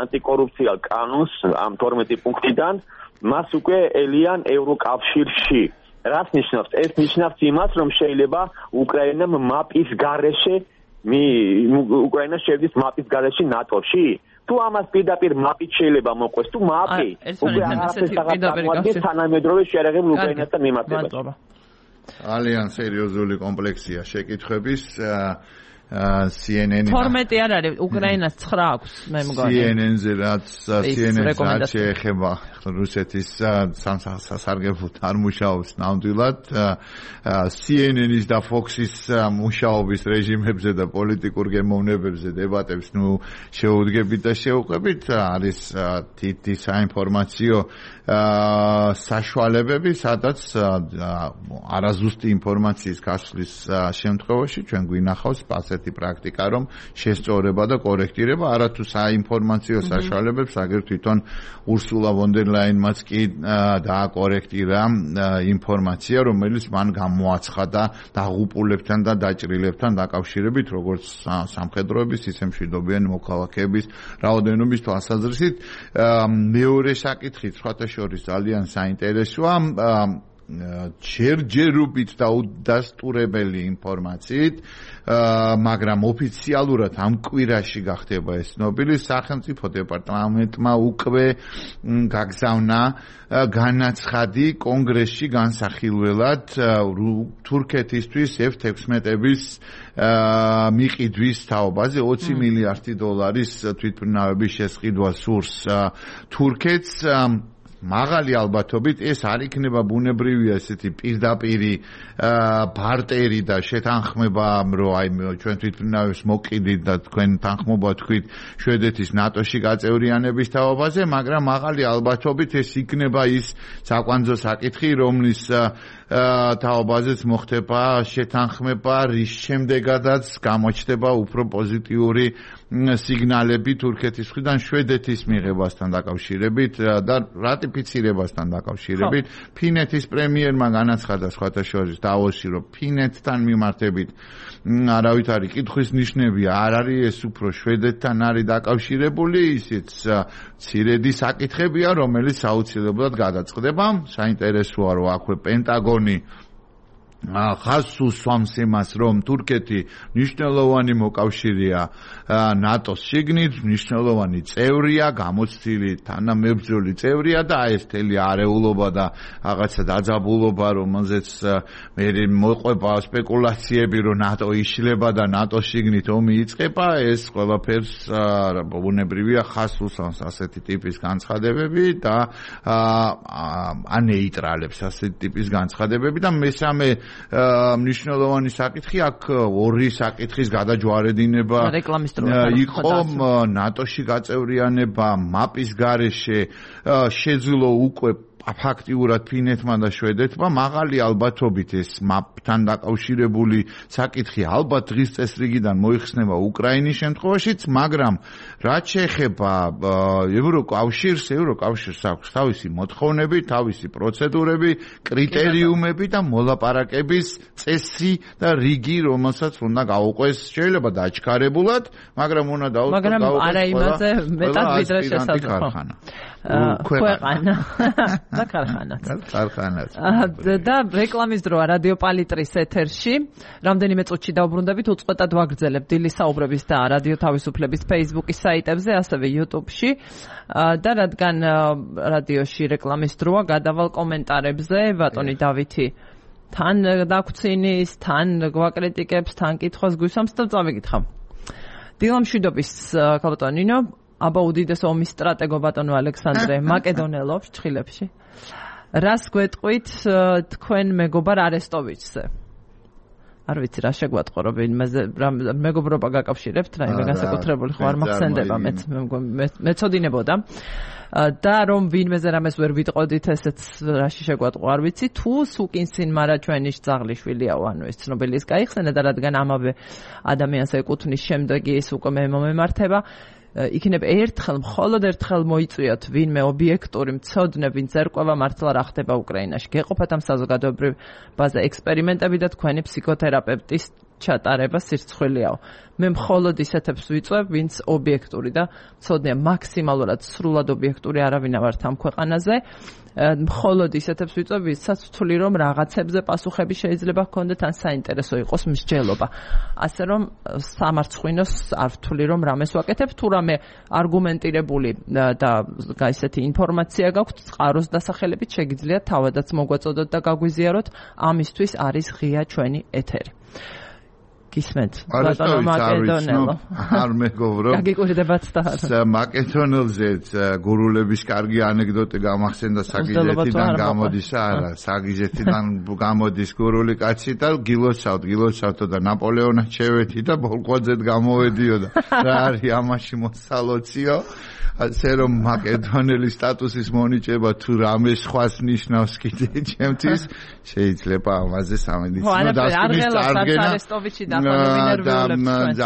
ანტიკორუფციულ კანონს ამ 12 პუნქტიდან, მას უკვე ელიან ევროკავშირში. რას ნიშნავს? ეს ნიშნავს იმას, რომ შეიძლება უკრაინამ მაპის გარეშე უკრაინა შევიდეს მაპის გარეშე ნატოში? თუ ამას პირდაპირ მაპით შეიძლება მოყვეს, თუ მაპი უკვე არაფერს აღარ თანამედროვე შეერაღებულ უკრაინასთან მიმართებაში. ძალიან სერიოზული კომპლექსია შეკითხვების. CNN 12 არ არის, უკრაინას 9 აქვს, მე მგონი. CNN-ზე რაც შეეხება რუსეთის სასარგებლოდ არ მუშაობს ნამდვილად. CNN-ის და Fox-ის მუშაობის რეჟიმებზე და პოლიტიკურ გემოვნებებზე დებატებს შეუდგებით და შევყვებით. არის თითი საინფორმაციო საშუალებები, სადაც არაზუსტი ინფორმაციის გასვლის შემთხვევაში ჩვენ გვინახავს ასეთი პრაქტიკა, რომ შესწორება და კორექტირება არათუ საინფორმაციო საშუალებებს, აგერ თვითონ ურსულა ვონ დერ ლაინმაც კი დააკორექტირა ინფორმაცია, რომელიც მან გამოაცხადა დაღუპულებთან და დაჭრილებთან დაკავშირებით, როგორც სამხედროების, ისე მშვიდობიანი მოქალაქეების რაოდენობის თვალსაზრისით. მეორე საკითხი სხვათა შორის ძალიან საინტერესოა. ჯერჯერობით და უდასტურებელი ინფორმაციით, მაგრამ ოფიციალურად ამ კვირაში გახდება ეს ცნობილი, სახელმწიფო დეპარტამენტმა უკვე გაგზავნა განაცხადი კონგრესში განსახილველად თურქეთისთვის F-16-ების მიყიდვის თაობაზე 20 მილიარდი დოლარის თვითმფრინავების შესყიდვა სურს თურქეთს. მაღალი ალბათობით ეს არ იქნება ბუნებრივია ესეთი პირდაპირი ბარტერი და შეთანხმება, რომ აი ჩვენ თვითმფრინავებს მოკიდით და თქვენ თანხმობა თქვით შვედეთის ნატოში გაწევრიანების თაობაზე, მაგრამ მაღალი ალბათობით ეს იქნება ის საკვანძო საკითხი, რომლის თაობაზეც მოხდება შეთანხმება, რის შემდეგადაც გამოჩნდება უფრო პოზიტიური სიგნალები თურქეთის მხრიდან შვედეთის მიღებასთან დაკავშირებით და რატიფიცირებასთან დაკავშირებით. ფინეთის პრემიერმა განაცხადა სხვათა შორის დავოსში, რომ ფინეთთან მიმართებით არავითარი კითხვის ნიშნები არ არის, ეს უფრო შვედეთთან არის დაკავშირებული, ისიც მცირედი საკითხებია, რომელიც აუცილებლად გადაწყდება. საინტერესოა, რომ აქვე პენტაგონი ხაზს უსვამს იმას, რომ თურქეთი მნიშვნელოვანი მოკავშირეა ნატოს შიგნით, მნიშვნელოვანი წევრია, გამოცდილი თანამებრძოლი წევრია და ეს თელი არეულობა და რაღაცა დაძაბულობა, რომელზეც მე მოყვება სპეკულაციები, რომ ნატო იშლება და ნატოს შიგნით ომი იწყება, ეს ყველაფერს ბუნებრივია ხაზს უსვამს ასეთი ტიპის განცხადებები და ანეიტრალებს ასეთი ტიპის განცხადებები და მესამე მნიშვნელოვანი საკითხი აქ ორი საკითხის გადაჯვარედინება იყო ნატოში გაწევრიანება მაპის გარეშე შეძლო უკვე ფაქტიურად ფინეთმა და შვედეთმა მაღალი ალბათობით ეს მაპთან დაკავშირებული საკითხი ალბათ დღის წესრიგიდან მოიხსნება უკრაინის შემთხვევაშიც, მაგრამ რაც შეეხება ევროკავშირს აქვს თავისი მოთხოვნები, თავისი პროცედურები, კრიტერიუმები და მოლაპარაკების წესი და რიგი, რომელსაც უნდა გაუყვეს, შეიძლება დაჩქარებულად, მაგრამ უნდა დაუწყოს მაგრამ არა იმაზე მეტად ვიდრე შესაძლოა. ქვეყანა და ქარხანაც. და რეკლამის დროა რადიო პალიტრის ეთერში. რამდენიმე წუთში დავბრუნდებით, უწყვეტად ვაგრძელებ დილის საუბრების და რადიო თავისუფლების Facebook-ის საიტებზე, ასევე YouTube-ში. და რადგან რადიოში რეკლამის დროა, გადავალ კომენტარებზე, ბატონი დავითი თან დაგვცინის, თან გვაკრიტიკებს, თან კითხვას გვისვამს და წავიკითხავ. დილამშვიდობის ქალბატონო ნინო, აბა უდიდეს ომის სტრატეგო ბატონო ალექსანდრე მაკედონელობს ჩხილებში. რას გვეტყვით თქვენ მეგობარ არესტოვიჩზე? არ ვიცი რა შეგვატყო რომ მეგობრობა გაკავშირებთ, რაიმე განსაკუთრებული ხო არ მახსენდება, მეცოდინებოდა. და რომ ვინმეზე რამეს ვერ ვიტყოდით, ესეც რაში შეგვატყო არ ვიცი, თუ სუკინსინ მარა ჩვენი ძაღლიშვილიაო, ანუ ეს ცნობილი ის გაიხსენა და რადგან ამავე ადამიანს ეკუთვნის, შემდეგი ის უკვე მომემართება, იქნებ მხოლოდ ერთხელ მოიწვიოთ ვინმე ობიექტური მცოდნე, ვინც ერკვევა მართლა რა ხდება უკრაინაში. გეყოფათ ამ საზოგადოებრივ ბაზე ექსპერიმენტები და თქვენი ფსიქოთერაპევტის ჩატარება სირცხვილიაო. მე მხოლოდ ისეთებს ვიწვევ, ვინც ობიექტური და მცოდნეა, მაქსიმალურად სრულად ობიექტური არავინ არ ვართ ამ ქვეყანაზე. მხოლოდ ისეთებს ვიწვევ, ვისაც ვთვლი რომ რაღაცებზე პასუხები შეიძლება ჰქონდეთ, ან საინტერესო იყოს მსჯელობა. ასე რომ სამარცხვინოს არ ვთვლი რომ რამეს ვაკეთებ, თუ რამე არგუმენტირებული და ისეთი ინფორმაცია გაქვთ წყაროს დასახელებით, შეგიძლიათ თავადაც მოგვაწოდოთ და გაგვიზიაროთ. ამისთვის არის ღია ჩვენი ეთერი. გისმენთ ბატონო მაკედონელო არ მეგობრო გაგიკურდებათ და მაკედონელზეც გურულების კარგი ანეკდოტი გამახსენდა საგიზეთიდან გამოდის არა საგიზეთიდან გამოდის გურული კაცი და გილოცავთ და ნაპოლეონად შევეთი და ბოლყვაძეთ გამოვედიოდა რა არის ამაში მოსალოციო ასე რომ მაკედონელის სტატუსის მონიჭება თუ რამე სხვას ნიშნავს კიდე ჩემთვის შეიძლება ამაზე სამედიცინო დასკვნის წარგენა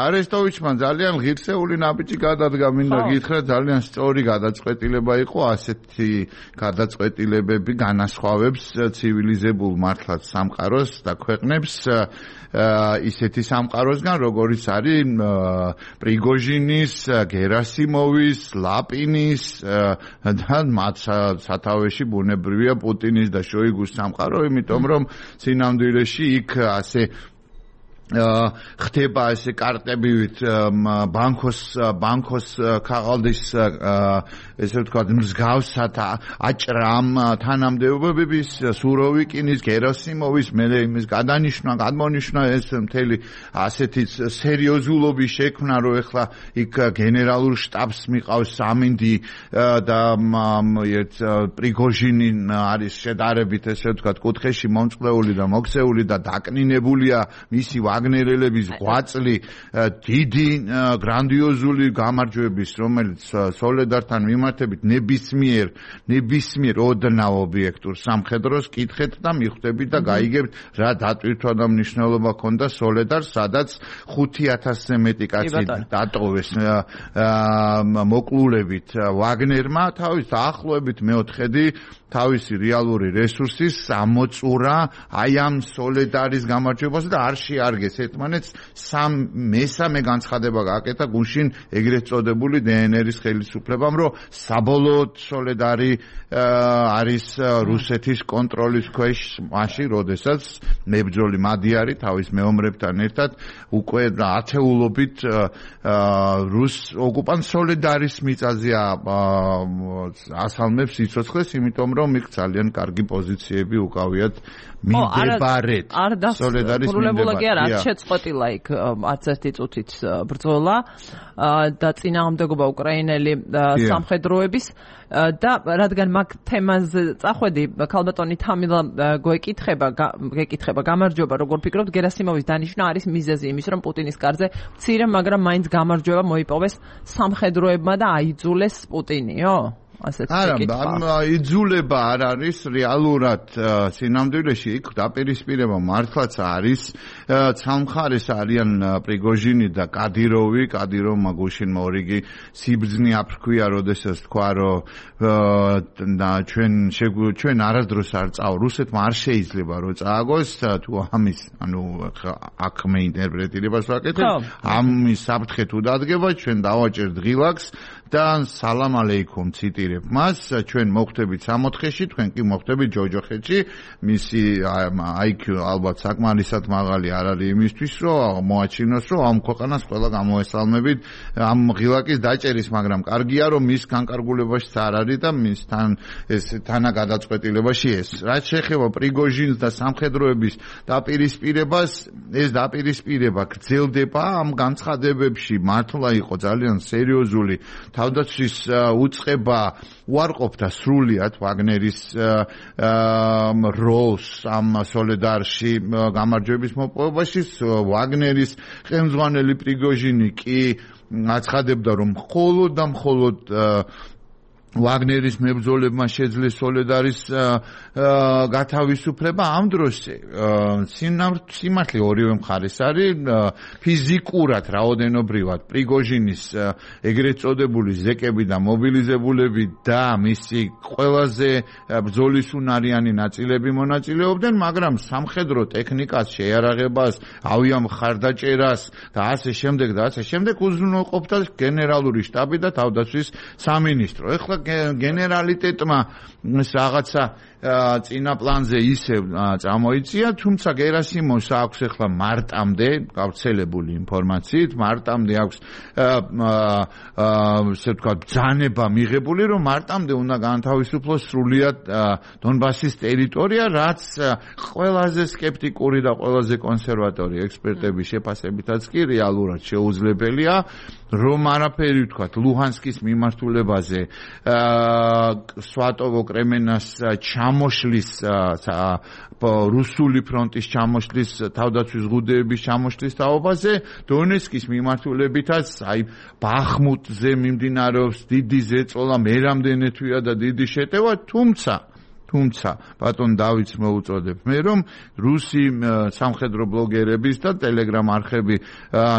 არესტოვიჩმა ძალიან ღირსეული ნაბიჯი გადადგა მინდა გითხრა ძალიან სწორი გადაწყვეტილება იყო ასეთი გადაწყვეტილებები განასხვავებს ცივილიზებულ მართლაც სამყაროს და ქვეყნებს ისეთი სამყაროსგან როგორიც არის პრიგოჟინის გერასიმოვის ლაპინის და მათ სათავეში ბუნებრივია პუტინის და შოიგუს სამყარო, იმიტომ რომ სინამდვილეში იქ ასე ხდება ესე კარტებივით ბანკოს ქაღალდის ესე ვთქვათ მსგავსად აჭრამ თანამდებობების სუროვიკინის გერასიმოვის მე იმის გადმონიშნა ეს მთელი ასეთი სერიოზულობის შექმნა რომ ეხლა იქ გენერალურ შტაბს მიყავს სამინდი და პრიგოჟინი არის შედარებით ესე ვთქვათ კუთხეში მომწყდეული და მოქცეული და დაკნინებულია მისი ვაგნერელების ღვაწლი დიდი გრანდიოზული გამარჯვების რომელიც სოლედართან მიმართებით ნებისმიერ ოდნავ ობიექტურ სამხედროს კითხეთ და მიხვდებით და გაიგებთ რა დატვირთვა და მნიშვნელობა ჰქონდა სოლედარს სადაც 5000-ზე მეტი კაცი დატოვეს მოკლულებით ვაგნერმა თავის დაახლოებით მეოთხედი თავისი რეალური რესურსის ამოწურა აი ამ სოლედარის გამარჯვებას და არ შეარგეს ერთმანეთს მესამე განცხადება გააკეთა გუშინ ეგრეთ წოდებული დნრ-ის ხელისუფლებამ რომ საბოლოოდ სოლედარი არის რუსეთის კონტროლის ქვეშ მაშინ როდესაც მებრძოლი მადიარი თავის მეომრებთან ერთად უკვე ათეულობით რუს ოკუპანტ სოლედარის მიწაზე ასალმებს სიცოცხლეს იმიტომ რომ იქ ძალიან კარგი პოზიციები უკავიათ მიმდებარედ სოლედარის მიმდებარედ არ შეწყვეტილა იქ არც ერთი წუთით ბრძოლა და წინააღმდეგობა უკრაინელი სამხედროების და რადგან მაგ თემაზე წახვედი ქალბატონი თამილა გეკითხება გამარჯვება როგორ ფიქრობთ გერასიმოვის დანიშვნა არის მიზეზი იმის რომ პუტინის კარზე მცირე მაგრამ მაინც გამარჯვება მოიპოვეს სამხედროებმა და აიძულეს პუტინიო არა, იძულება არ არის რეალურად სინამდვილეში იქ დაპირისპირება მართლაც არის სამხარეს არიან პრიგოჟინი და კადიროვმა გუშინ მორიგი სიბრძნე აფრქვია როდესაც თქვა რომ ჩვენ არასდროს არ წავა რუსეთმა არ შეიძლება რომ წააგოს თუ ამის ანუ აქ მე ინტერპრეტირებას ვაკეთებ ამის საფრთხე თუ დადგება ჩვენ დავაჭერთ ღილაკს და სალამ ალეიქუმ ციტირებ მას ჩვენ მოხვდებით 64-ში თქვენ კი მოხვდებით ჯოჯოხეთში მისი IQ ალბათ საკმარისად მაღალი არ არის იმისთვის რომ მოაჩინოს რომ ამ ქვეყანას ყველა გამოესალმებით ამ ღილაკის დაჭერის მაგრამ კარგია რომ მის განკარგულებაშიც არ არის და მისთან ეს თანაგადაწყვეტილებაში ეს რაც შეეხება პრიგოჟინს და სამხედროების დაპირისპირებას ეს დაპირისპირება გრძელდება ამ განცხადებებში მართლა იყო ძალიან სერიოზული თავდაცვის უწყება უარყოფდა სრულიად ვაგნერის როლს ამ სოლედარში გამარჯვების მოპოვებაში ვაგნერის ხელმძღვანელი პრიგოჟინი კი აცხადებდა რომ მხოლოდ და მხოლოდ ვაგნერის მებრძოლებმა შეძლეს სოლედარის გათავისუფლება ამ დროს სიმართლე ორივე მხარეს არის ფიზიკურად რაოდენობრივად პრიგოჟინის ეგრეთ წოდებული ზეკები და მობილიზებულები და მისი ყველაზე ბრძოლისუნარიანი ნაწილები მონაწილეობდნენ მაგრამ სამხედრო ტექნიკას შეიარაღებას ავიამხარდაჭერას და ასე შემდეგ უზრუნველყოფდა გენერალური შტაბი და თავდაცვის სამინისტრო ეხლა გენერალიტეტმა რაღაცა წინა პლანზე ისევ წამოიწია, თუმცა გერასიმოვს აქვს ახლა მარტამდე გავრცელებული ინფორმაციით, მარტამდე აქვს ესე ვთქვათ ბრძანება მიღებული, რომ მარტამდე უნდა განთავისუფლოს სრულიად დონბასის ტერიტორია, რაც ყველაზე სკეპტიკური და ყველაზე კონსერვატორი ექსპერტების შეფასებითაც კი რეალურად შეუძლებელია, რომ არაფერი ვთქვათ ლუჰანსკის მიმართულებაზე სვატოვო კრემენას ჩამოშლის რუსული ფრონტის ჩამოშლის თავდაცვის ზღუდეების ჩამოშლის თაობაზე დონეცკის მიმართულებითაც აი ბახმუტზე მიმდინარეობს დიდი ზეწოლა მერამდენე თვია და დიდი შეტევა თუმცა ბატონ დავითს მოუწოდებ მე რომ რუსი სამხედრო ბლოგერების და ტელეგრამ არხები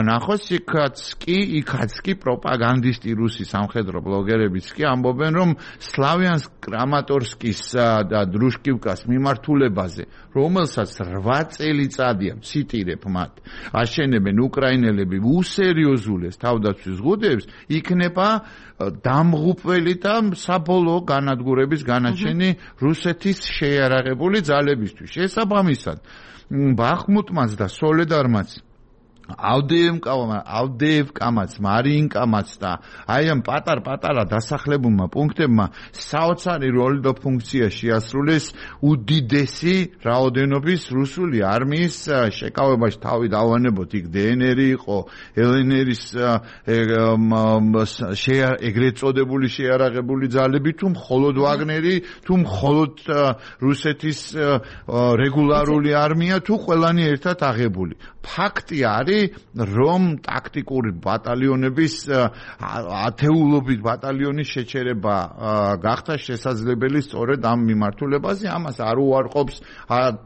ნახოს იქაც კი პროპაგანდისტი რუსი სამხედრო ბლოგერებიც კი ამბობენ რომ სლავიანსკ კრამატორსკის და დრუშკივკას მიმართულებაზე რომელსაც 8 წელიწადია ციტირებ მათ აშენებენ უკრაინელები უსერიოზულეს თავდაცვის ზღუდეებს იქნება დამღუპველი და საბოლოო განადგურების განაჩენი რუსეთის შეიარაღებული ძალებისთვის. შესაბამისად, ბახმუტმაც და სოლედარმაც ავდეევკამაც, მარიინკამაც და აი ამ პატარ-პატარა დასახლებულმა პუნქტებმა საოცარი როლი და ფუნქცია შეასრულეს უდიდესი რაოდენობის რუსული არმიის შეკავებაში თავი დავანებოთ იქ დნr-ი იყო, ლნr-ის ეგრეთ წოდებული შეიარაღებული ძალები თუ მხოლოდ ვაგნერი, თუ მხოლოდ რუსეთის რეგულარული არმია თუ ყველანი ერთად აღებული. ფაქტი არის რომ ტაქტიკური ბატალიონების ათეულობით ბატალიონის შეჩერება გახდა შესაძლებელი სწორედ ამ მიმართულებაზე ამას არ უარყოფს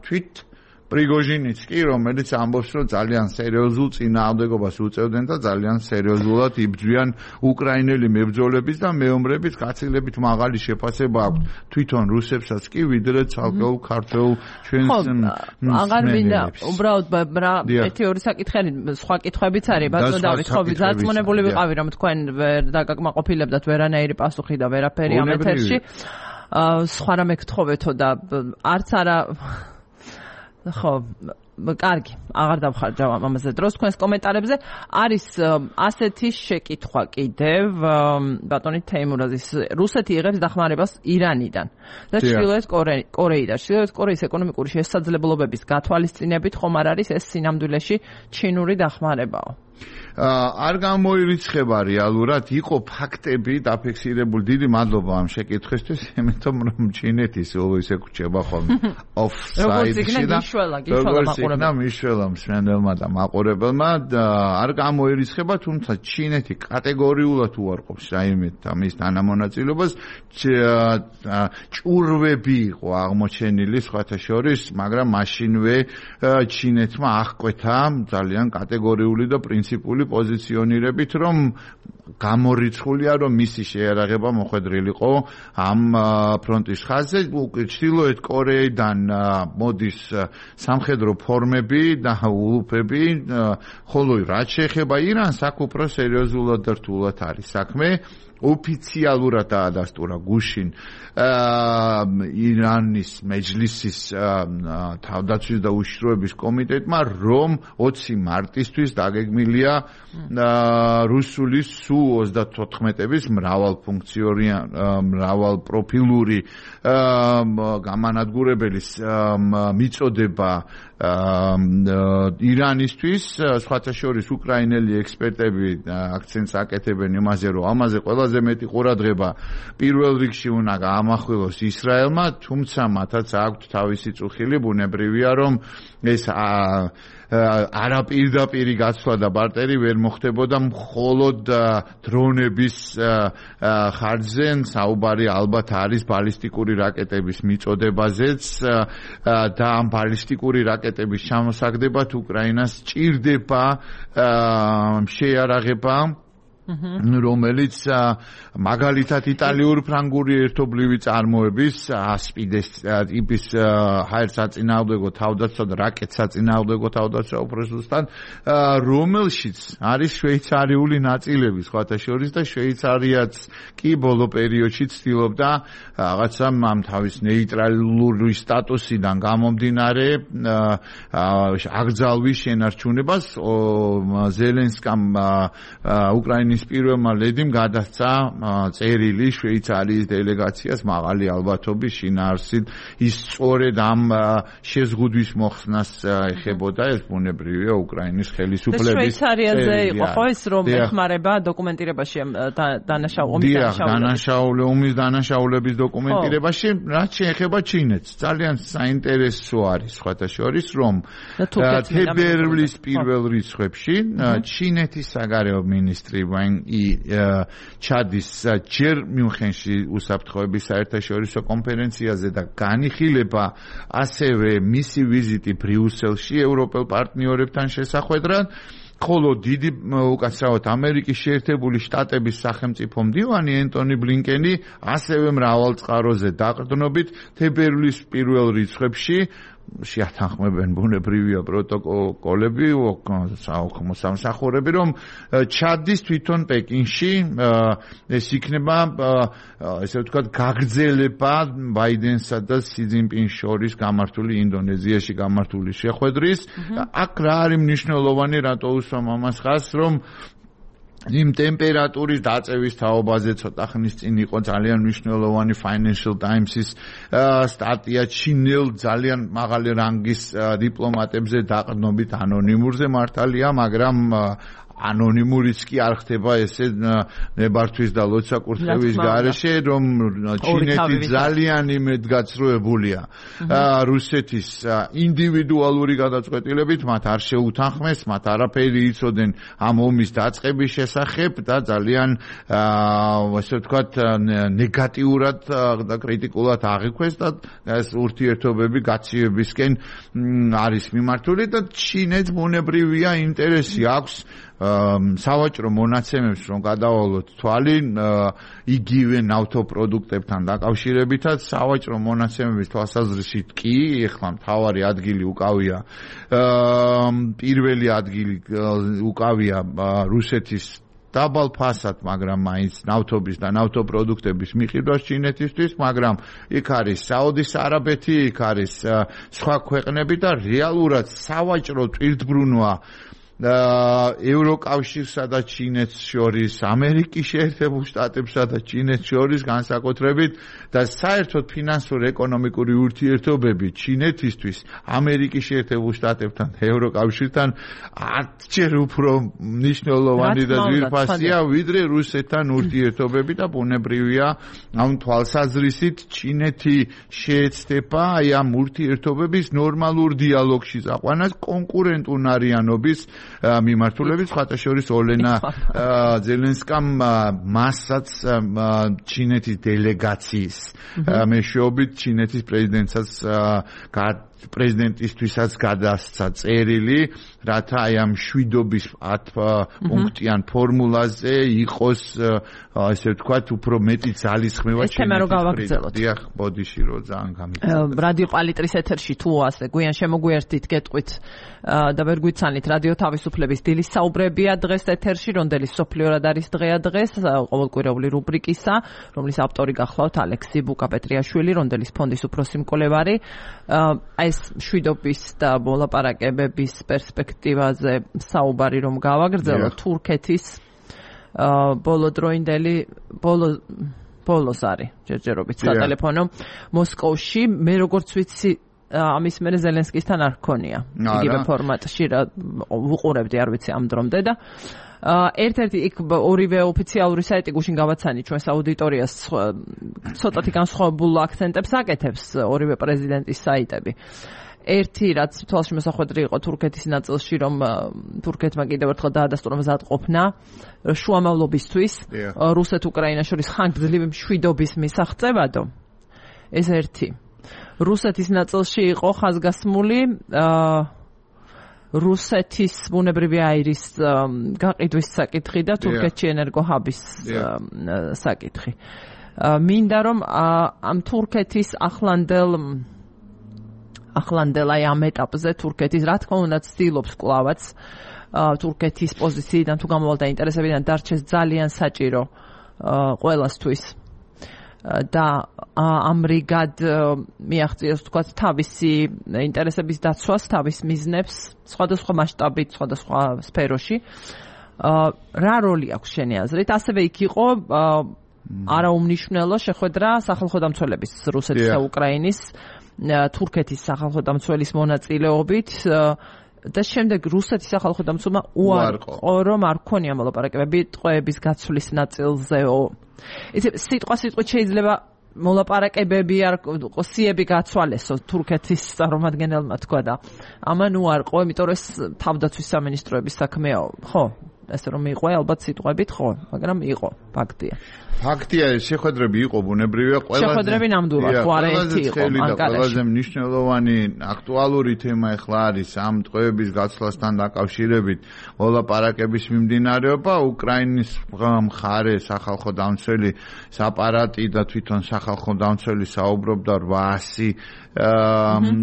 თვით პრიგოჟინიც კი რომელიც ამბობს რომ ძალიან სერიოზულ წინააღმდეგობას უწევდნენ და ძალიან სერიოზულად იბრძვიან უკრაინელი მებრძოლების და მეომრების გაცილებით მაღალი შეფასება აქვს თვითონ რუსებსაც კი ვიდრე ცალკეულ ქართველ ჩვენს აღარ მინდა უბრალოდ ერთი ორი საკითხი სხვა კითხვებიც არის ბატონო დავით ხო ზარწმუნებული ვიყავი რომ თქვენ ვერ დაგაკმაყოფილებდათ ვერანაირი პასუხი და ვერაფერი ამ ეთერში სხვა რამე გთხოვეთო და არც არა ხო კარგი აღარ დავხარჯავ ამაზე დროს თქვენს კომენტარებზე არის ასეთი შეკითხვა კიდევ ბატონი თეიმურაზის რუსეთი იღებს დახმარებას ირანიდან და ჩრდილოეთ კორეიდან ჩრდილოეთ კორეის ეკონომიკური შესაძლებლობების გათვალისწინებით ხომ არ არის ეს სინამდვილეში ჩინური დახმარებაო არ გამოირიცხება რეალურად იყო ფაქტები დაფიქსირებული დიდი მადლობა ამ შეკითხვისთვის იმიტომ რომ ჩინეთის ისე ქუჩება ხოლმე ოფსაიდში და მიშველა მსმენელმა და მაყურებელმა არ გამოირიცხება თუმცა ჩინეთი კატეგორიულად უარყოფს რაიმე ამის თანამონაწილეობას ჭურვები იყო აღმოჩენილი სხვათა შორის მაგრამ მაშინვე ჩინეთმა აღკვეთა ძალიან კატეგორიული და პრინციპული პოზიციონირებით რომ გამორიცხულია რომ მისი შეიარაღება მოხვედრილიყო ამ ფრონტის ხაზზე ჩრდილოეთ კორეიდან მოდის სამხედრო ფორმები და ულუფები ხოლო რაც შეეხება ირანს აქ უფრო სერიოზულად და რთულად არის საქმე ოფიციალურად დაადასტურა გუშინ ირანის მეჯლისის თავდაცვის და უშიშროების კომიტეტმა, რომ 20 მარტისთვის დაგეგმილია რუსული Su-34-ების მრავალპროფილური გამანადგურებელის მიწოდება ირანისთვის. სხვათა შორის უკრაინელი ექსპერტები აქცენტს აკეთებენ იმაზე, რომ ამაზე ყველაზე მეტი ყურადღება პირველ რიგში უნდა გაამახვილოს ისრაელმა, თუმცა მათაც აქვთ თავისი წუხილი. ბუნებრივია, რომ ეს არაპირდაპირი გაცვლა და ბარტერი ვერ მოხდებოდა მხოლოდ დრონების ხარჯზე. საუბარი ალბათ არის ბალისტიკური რაკეტების მიწოდებაზეც და ამ ბალისტიკური რაკეტების ჩამოსაგდებად უკრაინას ჭირდება შეიარაღება, რომელიც მაგალითად იტალიურ-ფრანგული ერთობლივი წარმოების ასპიდეს ტიპის ჰაერსაწინააღმდეგო თავდაცვა და რაკეტსაწინააღმდეგო თავდაცვა უბრალოდ რომელშიც არის შვეიცარიული ნაწილები სხვათა შორის და შვეიცარიაც კი ბოლო პერიოდში ცდილობდა რაღაცა ამ თავის ნეიტრალური სტატუსიდან გამომდინარე აკრძალვის შენარჩუნებას. ზელენსკამ უკრაინის პირველმა ლედიმ გადასცა წერილი შვეიცარიის დელეგაციას მაღალი ალბათობის შინაარსით. ის სწორედ ამ შეზღუდვის მოხსნას ეხებოდა. ეს ბუნებრივია უკრაინის ხელისუფლების შვეიცარიაზე იყო ხო ეს რომ ეხმარება დოკუმენტირებაში ომის დანაშაულების დოკუმენტირებაში, რაც შეეხება ჩინეთს. ძალიან საინტერესო არის სხვათა შორის, რომ თებერვლის პირველ რიცხვებში ჩინეთის საგარეო მინისტრი ჩადის ჯერ მიუნხენში უსაფრთხოების საერთაშორისო კონფერენციაზე და განიხილება ასევე მისი ვიზიტი ბრიუსელში ევროპელ პარტნიორებთან შესახვედრად. ხოლო დიდი უკაცრავად ამერიკის შეერთებული შტატების სახელმწიფო მდივანი ენტონი ბლინკენი ასევე მრავალწყაროზე დაყრდნობით თებერვლის პირველ რიცხვებში შეათანხმებენ ბუნებრივია პროტოკოლები საოქრო სამსახურები, რომ ჩადის თვითონ პეკინში. ეს იქნება ესე ვთქვათ გაგრძელება ბაიდენსა და სი ძინპინს შორის გამართული ინდონეზიაში გამართული შეხვედრის. აქ რა არის მნიშვნელოვანი, რატო უსვამ ამას ხაზს, რომ იმ ტემპერატურის დაწევის თაობაზე ცოტა ხნის წინ იყო ძალიან მნიშვნელოვანი Financial Times-ის სტატია ჩინელ ძალიან მაღალი რანგის დიპლომატებზე დაყრდნობით ანონიმურზე მართალია, მაგრამ ანონიმურიც კი არ ხდება ესე ნებართვის და ლოცვა-კურთხევის გარეშე, რომ ჩინეთი ძალიან იმედგაცრუებულია რუსეთის ინდივიდუალური გადაწყვეტილებით, მათ არ შეუთანხმეს, მათ არაფერი იცოდნენ ამ ომის დაწყების შესახებ და ძალიან ასე ვთქვათ ნეგატიურად და კრიტიკულად აღიქვეს და ეს ურთიერთობები გაცივებისკენ არის მიმართული და ჩინეთს ბუნებრივია ინტერესი აქვს სავაჭრო მონაცემებს რომ გადავალოთ თვალი იგივე ნავთობპროდუქტებთან დაკავშირებითაც სავაჭრო მონაცემების თვალსაზრისით კი ეხლა მთავარი ადგილი უკავია პირველი ადგილი უკავია რუსეთის დაბალ ფასად, მაგრამ მაინც ნავთობის და ნავთობპროდუქტების მიყიდვას ჩინეთისთვის, მაგრამ იქ არის საუდის არაბეთი, იქ არის სხვა ქვეყნები და რეალურად სავაჭრო ტვირთბრუნვა ევროკავშირსა და ჩინეთს შორის, ამერიკის შეერთებულ შტატებსა და ჩინეთს შორის განსაკუთრებით და საერთოდ ფინანსურ-ეკონომიკური ურთიერთობები ჩინეთისთვის ამერიკის შეერთებულ შტატებთან და ევროკავშირთან 10-ჯერ უფრო მნიშვნელოვანი და ძვირფასია, ვიდრე რუსეთთან ურთიერთობები და ბუნებრივია ამ თვალსაზრისით ჩინეთი შეეცდება აი ამ ურთიერთობების ნორმალურ დიალოგში წაყვანას კონკურენტუნარიანობის მიმართულებით, სხვათა შორის ოლენა ზელენსკამ მასაც ჩინეთის დელეგაციის მეშვეობით ჩინეთის პრეზიდენტსაც პრეზიდენტისთვისაც გადასცა წერილი, რათა აი ამ შვიდობის 10 პუნქტიან ფორმულაზე იყოს ესე ვთქვათ, უფრო მეტი ძალისხმევა ჩემთვის. დიახ, ბოდიში რო ძალიან გამიგზავნა. რადიო პალიტრის ეთერში თუ ასე გვიან შემოგვიერთდით გეტყვით და ვერ გვიცანით რადიო თავისუფლების დილის საუბრებია დღეს ეთერში, რონდელის სოფლიორად არის დღეა დღეს, ყოველკვირეული რუბრიკისა, რომლის ავტორი გახლავთ ალექსი ბუკაპეტრიაშვილი, რონდელის ფონდის უფროსი მკვლევარი. ეს შვიდობის და მოლაპარაკებების პერსპექტივაზე საუბარი რომ გავაგრძელოთ, თურქეთის ბოლოდროინდელი ბოლოს არის ჯერჯერობით სატელეფონო მოსკოვში. მე როგორც ვიცი ამის მერე ზელენსკისთან არ ჰქონია იგივე ფორმატში რა უყურებდი არ ვიცი ამ დრომდე და ერთ-ერთი იქ ორივე ოფიციალური საიტი გუშინ გავაცანი ჩვენს აუდიტორიას ცოტათი განსხვავებულ აქცენტებს აკეთებს ორივე პრეზიდენტის საიტები. ერთი რაც თვალში მოსახვედრი იყო თურქეთის ნაწილში, რომ თურქეთმა კიდევ ერთხელ დაადასტურა მზადყოფნა შუამავლობისთვის რუსეთ-უკრაინას შორის ხანგრძლივი მშვიდობის მისაღწევადო. ეს ერთი. რუსეთის ნაწილში იყო ხაზგასმული რუსეთის ბუნებრივი აირის გაყიდვის საკითხი და თურქეთში ენერგოჰაბის საკითხი. მინდა რომ ამ თურქეთის ახლანდელ აი ამ ეტაპზე თურქეთის რა თქმა უნდა ცდილობს კლავაც თურქეთის პოზიციიდან თუ გამოვალ და ინტერესებიდან დარჩეს ძალიან საჭირო ყველასთვის და ამრიგად მიაღწიოს თქვა თავისი ინტერესების დაცვას, თავის მიზნებს სხვადასხვა მასშტაბით, სხვადასხვა სფეროში. რა როლი აქვს შენი აზრით? ასევე იქ იყო არაუმნიშვნელო შეხვედრა სახალხო დამცველების რუსეთის და უკრაინის თურქეთის სახალხო დამცველის მონაწილეობით და შემდეგ რუსეთის სახალხო დამცველმა უარყო რომ არ ქონია მოლაპარაკებები ტყვეების გაცვლის ნაწილზეო. ისე სიტყვით შეიძლება მოლაპარაკებები არ სიები გაცვალესო თურქეთის წარმომადგენელმა თქვა და ამან უარყო, იმიტომ რომ ეს თავდაცვის სამინისტროების საქმეა, ხო? ესე რომ იყო ალბათ სიტყვებით ხო, მაგრამ იყო ფაქტია. ფაქტია, შეხვედრები იყო ბუნებრივია, შეხვედრები ნამდვილად ხო არა ერთი იყო ანკარაში. ყველაზე მნიშვნელოვანი აქტუალური თემა ახლა არის ამ ტყვეების გაცვლასთან დაკავშირებით მოლაპარაკების მიმდინარეობა. უკრაინის მხარე სახალხო დამცველი აპარატი და თვითონ სახალხო დამცველი საუბრობდა 800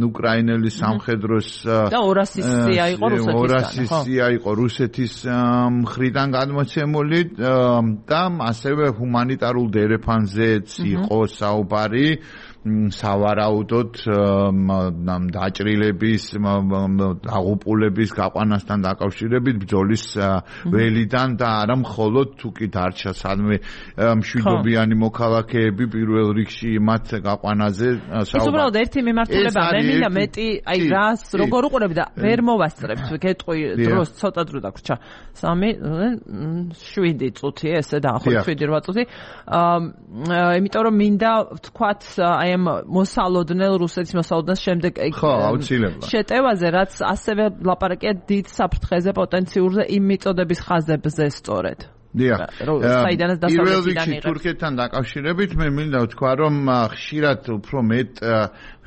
უკრაინელი სამხედროს და 200-ია იყო რუსეთისგან. 200-ია იყო რუსეთის მხრიდან გადმოცემული და ასევე ჰუმანიტარულ დერეფანზეც იყო საუბარი სავარაუდოდ დაჭრილების, დაღუპულების გაყვანასთან დაკავშირებით ბრძოლის ველიდან და არა მხოლოდ თუ კი დარჩა სადმე მშვიდობიანი მოქალაქეები პირველ რიგში მათ გაყვანაზე საუბარი. ეს უბრალოდ ერთი მიმართულება, მე მინდა მეტი აი რას როგორ უყურებ და ვერ მოვასწრებთ, გეტყვი დროს ცოტა დრო დაგვრჩა. 3-7 წუთი ესე დაახლოებით 7-8 წუთი. იმიტომ რომ მინდა ვთქვათ აი მოსალოდნელ რუსეთის მოსალოდნელს შემდეგ შეტევაზე, რაც ასევე ლაპარაკია დიდ საფრთხეზე პოტენციურზე იმ მიწოდების ხაზებზე სწორედ. დიახ. საიდანაც დასავლეთიდან იღებს. თურქეთთან დაკავშირებით მე მინდა ვთქვა, რომ ხშირად უფრო მეტ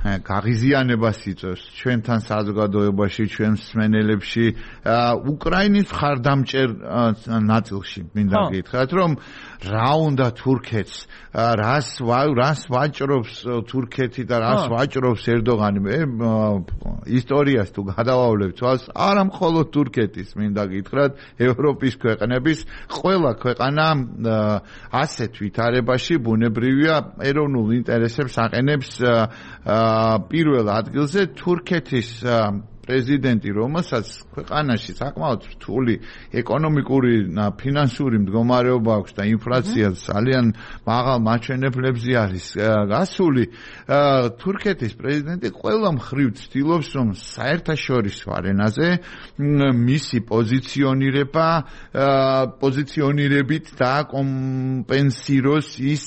გაღიზიანებას იწვევს ჩვენთან საზოგადოებაში, ჩვენ მსმენელებში, უკრაინის მხარდამჭერ ნაწილში მინდა გითხრათ, რომ რა უნდა თურქეთს, რას ვაჭრობს თურქეთი და რას ვაჭრობს ერდოღანი. მე ისტორიას თუ გადავავლებ თვალს, არა მხოლოდ თურქეთის მინდა გითხრათ, ევროპის ქვეყნების ყველა ქვეყანა ასეთ ვითარებაში ბუნებრივია ეროვნულ ინტერესებს აყენებს პირველ ადგილზე. თურქეთის პრეზიდენტი, რომელსაც ქვეყანაში საკმაოდ რთული ეკონომიკური და ფინანსური მდგომარეობა აქვს და ინფლაცია ძალიან მაღალ მაჩვენებლებზე არის გასული, თურქეთის პრეზიდენტი ყველა მხრივ ცდილობს, რომ საერთაშორისო არენაზე მისი პოზიციონირებით დააკომპენსიროს ის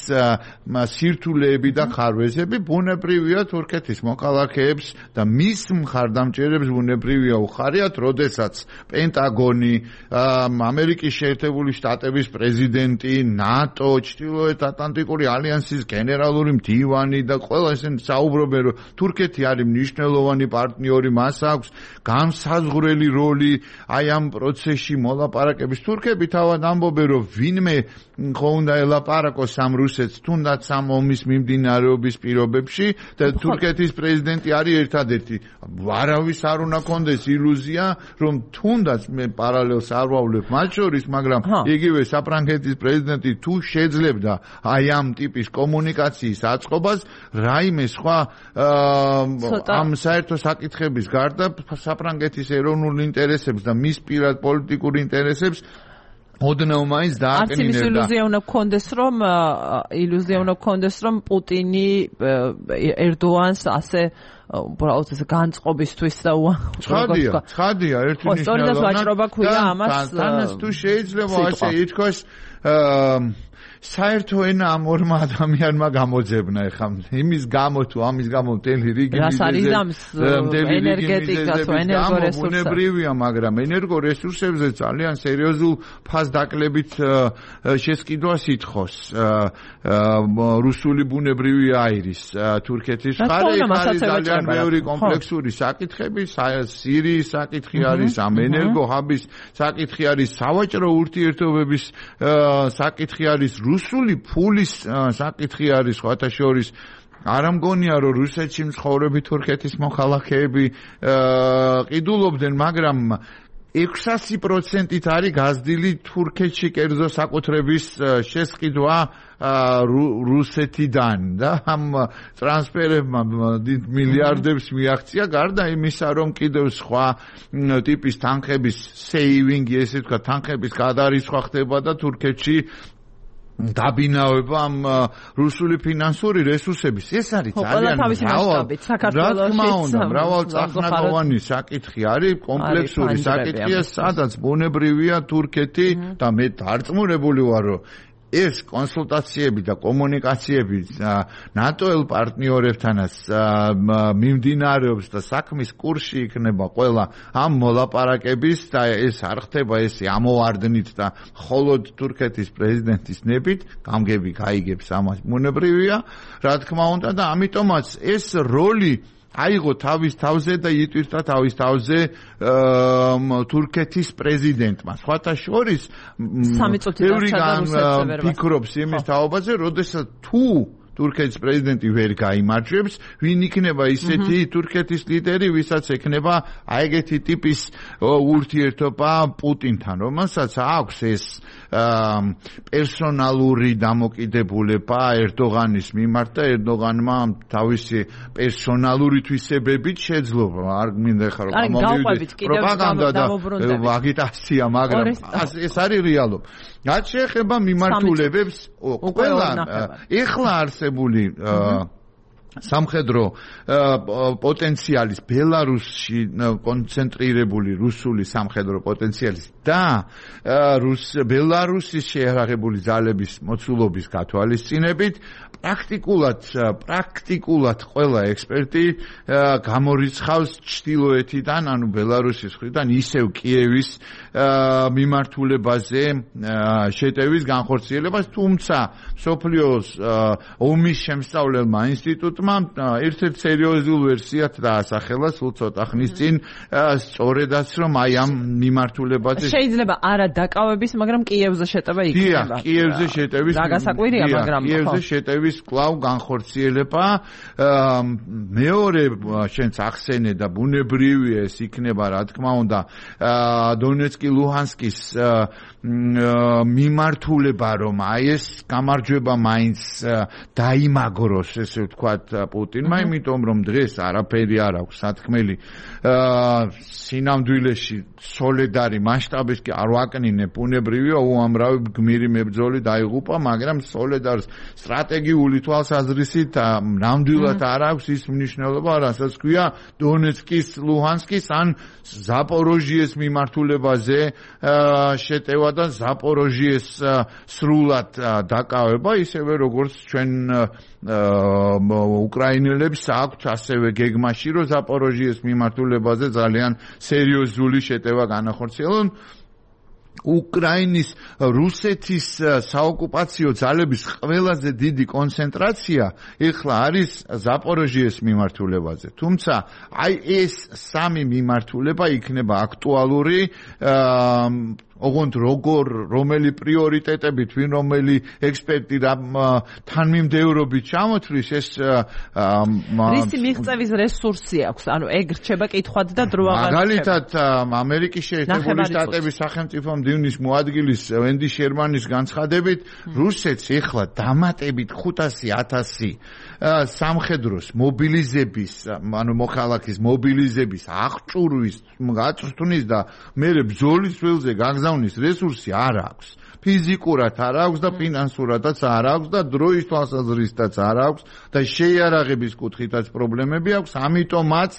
სირთულეები და ხარვეზები. ბუნებრივია თურქეთის მოქალაქეებს და მის მხარდამჭერებს ბუნებრივია უხარიათ, როდესაც პენტაგონი, ამერიკის შეერთებული შტატების პრეზიდენტი, ნატო, ჩრდილოეთ ატლანტიკური ალიანსის გენერალური მდივანი და ყველა ესენი საუბრობენ, რომ თურქეთი არის მნიშვნელოვანი პარტნიორი, მას აქვს განსაზღვრელი როლი აი ამ პროცესში მოლაპარაკების. თურქები თავად ამბობენ, რომ ვინმე ხო უნდა ელაპარაკოს ამ რუსეთს, თუნდაც ამ ომის მიმდინარეობის პირობებში და თურქეთის პრეზიდენტი არის ერთადერთი. არავის არ უნდა კონდეს ილუზია, რომ თუნდაც მე პარალელს არ ვავლებ მათ შორის, მაგრამ იგივე საფრანგეთის პრეზიდენტი თუ შეძლებდა აი ამ ტიპის კომუნიკაციის აწყობას, რაიმე სხვა ამ საერთო საკითხების გარდა საფრანგეთის ეროვნულ ინტერესებს და მის პირად პოლიტიკურ ინტერესებს ოდნავ მაინც დააკნინებდა. არც ილუზია უნდა გქონდეს, რომ პუტინი ერდოანს ასე უბრალოდ ეს განწყობისთვის და ცხადია ერთი მნიშვნელოვანი თანაც თუ შეიძლება ასე ითქვას საერთო ენა ამ ორმა ადამიანმა გამოძებნა ეხლა იმის გამო თუ ამის გამო მთელი რიგი ენერგეტიკას თუ ენერგორესურსებს ბუნებრივია, მაგრამ ენერგორესურსებზე ძალიან სერიოზულ ფასდაკლებით შესყიდვას ითხოვს რუსული ბუნებრივი აირის თურქეთის მხარე. არის ძალიან ბევრი კომპლექსური საკითხები, სირიის საკითხი არის, ამ ენერგოჰაბის საკითხი არის, სავაჭრო ურთიერთობების საკითხი არის, რუსული ფულის საკითხი არის, სხვათა შორის არ ამგონია რომ რუსეთში მცხოვრები თურქეთის მოხალხეები ყიდულობდნენ, მაგრამ 600%-ით არის გაზრდილი თურქეთში კერძო საკუთრების შესყიდვა რუსეთიდან და ამ ტრანსფერებმა მილიარდებს მიაღწია, გარდა იმისა, რომ კიდევ სხვა ტიპის თანხების სეივინგი, ესე ვთქვა, თანხების გადარისხვა ხდება და თურქეთში დაბინავება ამ რუსული ფინანსური რესურსების. ეს არის ძალიან მრავალწახნაგოვანი საკითხი არის, კომპლექსური საკითხია, სადაც ბუნებრივია თურქეთი და მე დარწმუნებული ვარ, რომ ეს კონსულტაციები და კომუნიკაციები ნატოელ პარტნიორებთანაც მიმდინარეობს და საქმის კურსში იქნება ყველა ამ მოლაპარაკების და ეს არ ხდება ესე ამოვარდნით და მხოლოდ თურქეთის პრეზიდენტის ნებით, გამგები გაიგებს ამას ბუნებრივია, რა თქმა უნდა და ამიტომაც ეს როლი აიღო თავის თავზე და იტვირთა თავის თავზე თურქეთის პრეზიდენტმა. სხვათა შორის ბევრი ფიქრობს იმის თაობაზე, როდესაც თუ თურქეთის პრეზიდენტი ვერ გაიმარჯვებს, ვინ იქნება ისეთი თურქეთის ლიდერი, ვისაც ექნება აიგეთი ტიპის ურთიერთობა პუტინთან, რომელსაც აქვს ეს პერსონალური დამოკიდებულება ერდოღანის მიმართ და ερდოღანმა თავისი პერსონალური თვისებებით შეძლო. არ მინდა ხარო გამომივიდეს პროპაგანდა და აგიტაცია, მაგრამ ეს არის რეალობა. რაც შეეხება მიმართულებებს, ყველა ეხლა არსებული სამხედრო პოტენციალის ბელარუსში კონცენტრირებული რუსული სამხედრო პოტენციალის და ბელარუსის შეერაღებული ძალების მოცულობის გათვალისწინებით პრაქტიკულად ყველა ექსპერტი გამორიცხავს ჩრდილოეთიდან, ანუ ბელარუსის მხრიდან ისევ კიევის მიმართულებაზე შეტევის განხორციელებას, თუმცა მსოფლიოს ომის შემსწავლელმა ინსტიტუტმა ერთ-ერთ სერიოზულ ვერსიად დაასახელა სულ ცოტა ხნის წინ, სწორედაც რომ აი ამ მიმართულებაზე შეიძლება არა დაკავების, მაგრამ კიევზე შეტევა იქნება. კიევზე შეტევის გასაკვირია, მაგრამ კიევზე შეტევის კვლავ განხორციელება მეორე შენც ახსენე და ბუნებრივია ეს იქნება, რა თქმა უნდა, დონეცკი ლუჰანსკის მიმართულება, რომ აი ეს გამარჯვება მაინც დაიმაგროს, ესე ვთქვათ, პუტინმა, იმიტომ რომ დღეს არაფერი არ აქვს სათქმელი სინამდვილეში სოლედარი მასშტაბის კი არ ვაკნინებ, ბუნებრივია უამრავი გმირი მებრძოლი დაიღუპა, მაგრამ სოლედარს სტრატეგიული თვალსაზრისით ნამდვილად არ აქვს ის მნიშვნელობა, რასაც ქვია დონეცკის, ლუჰანსკის ან ზაპოროჟიეს მიმართულებაზე შეტევა და ზაპოროჟიეს სრულად დაკავება, ისევე როგორც ჩვენ უკრაინელებს აქვთ ასევე გეგმაში, რომ ზაპოროჟიეს მიმართულებაზე ძალიან სერიოზული შეტევა განახორციელონ. უკრაინის რუსეთის საოკუპაციო ძალების ყველაზე დიდი კონცენტრაცია ეხლა არის ზაპოროჟიეს მიმართულებაზე. თუმცა აი ეს სამი მიმართულება იქნება აქტუალური ოღონდ რომელი პრიორიტეტებით, ვინ რომელი ექსპერტი თანმიმდევრობით ჩამოთვლის ეს რისი მიღწევის რესურსი აქვს? ანუ ეგ რჩება კითხვად და დრო აღარ მაგალითად ამერიკის შეერთებული შტატების სახელმწიფო მდივნის მოადგილის ვენდი შერმანის განცხადებით, რუსეთს ეხლა დამატებით 500,000 სამხედროს მობილიზების, ანუ მოხალხის მობილიზების აღჭურვის გაწვრთნის და მერე ბრძოლის ველზე გაგზავნის რესურსი არ აქვს. ფიზიკურად არ აქვს და ფინანსურადაც არ აქვს და დროის თვალსაზრისითაც არ აქვს და შეიარაღების კუთხითაც პრობლემები აქვს. ამიტომაც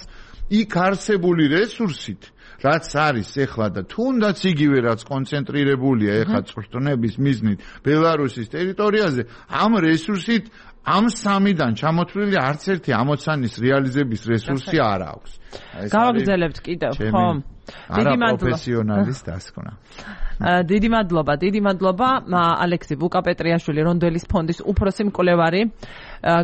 იქ არსებული რესურსით, რაც არის ეხლა და თუნდაც იგივე რაც კონცენტრირებულია ეხლა წვრთნების მიზნით ბელარუსის ტერიტორიაზე, ამ რესურსით ამ სამიდან ჩამოთვლილი არც ერთი ამოცანის რეალიზების რესურსი არ აქვს. გავაგრძელებთ კიდევ, ხო? დიდი პროფესიონალის დასკვნა. დიდი მადლობა ალექსი ვუკაპეტრიაშვილი, რონდელის ფონდის უფროსი მკვლევარი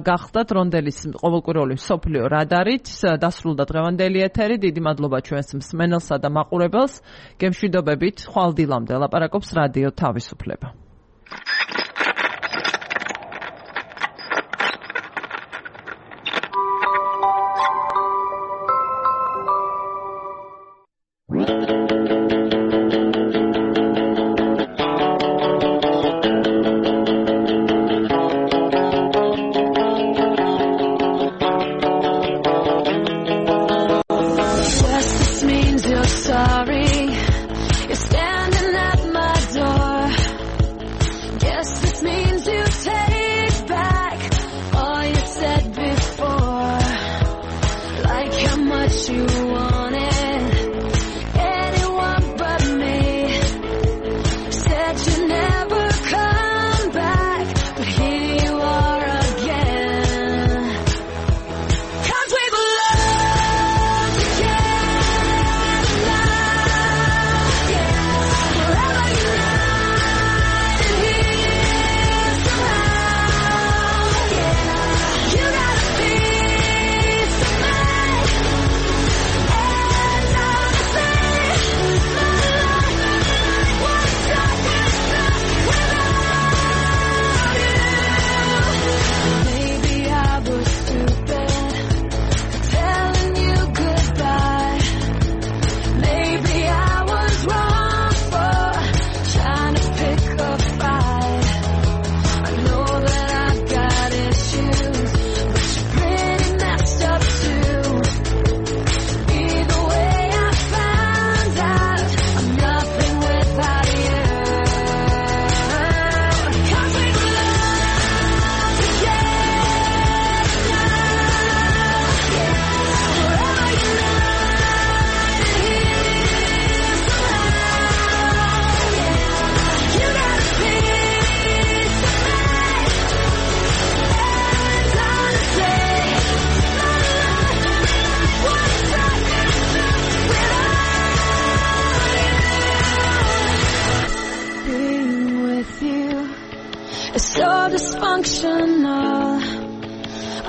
გახდათ რონდელის ყოველკვირეული მსოფლიო რადარით. დასრულდა დღევანდელი ეთერი. დიდი მადლობა ჩვენს მსმენელსა და მაყურებელს. გემშვიდობებით, ხვალ დილამდე ლაპარაკობს რადიო თავისუფლება.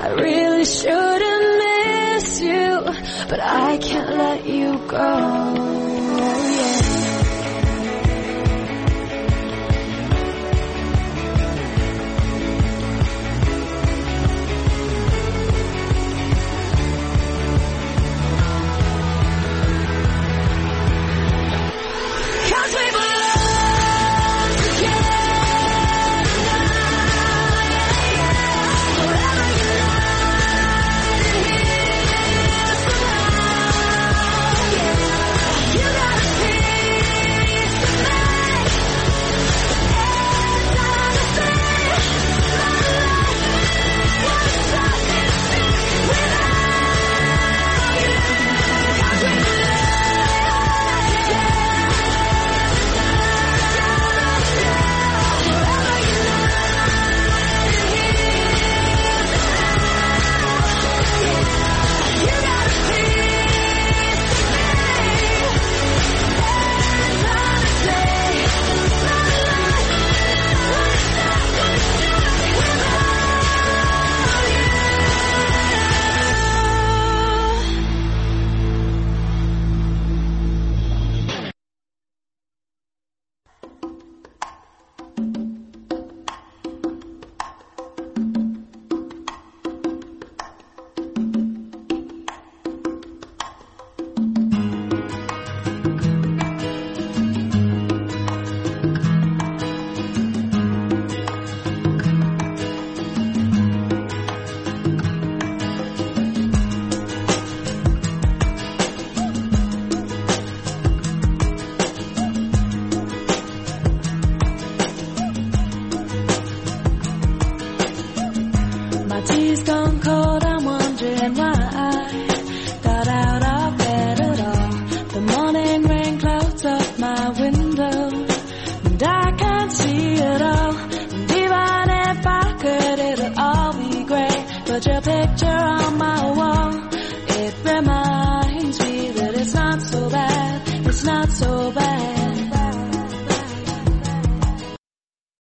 I really shouldn't miss you, but I can't let you go.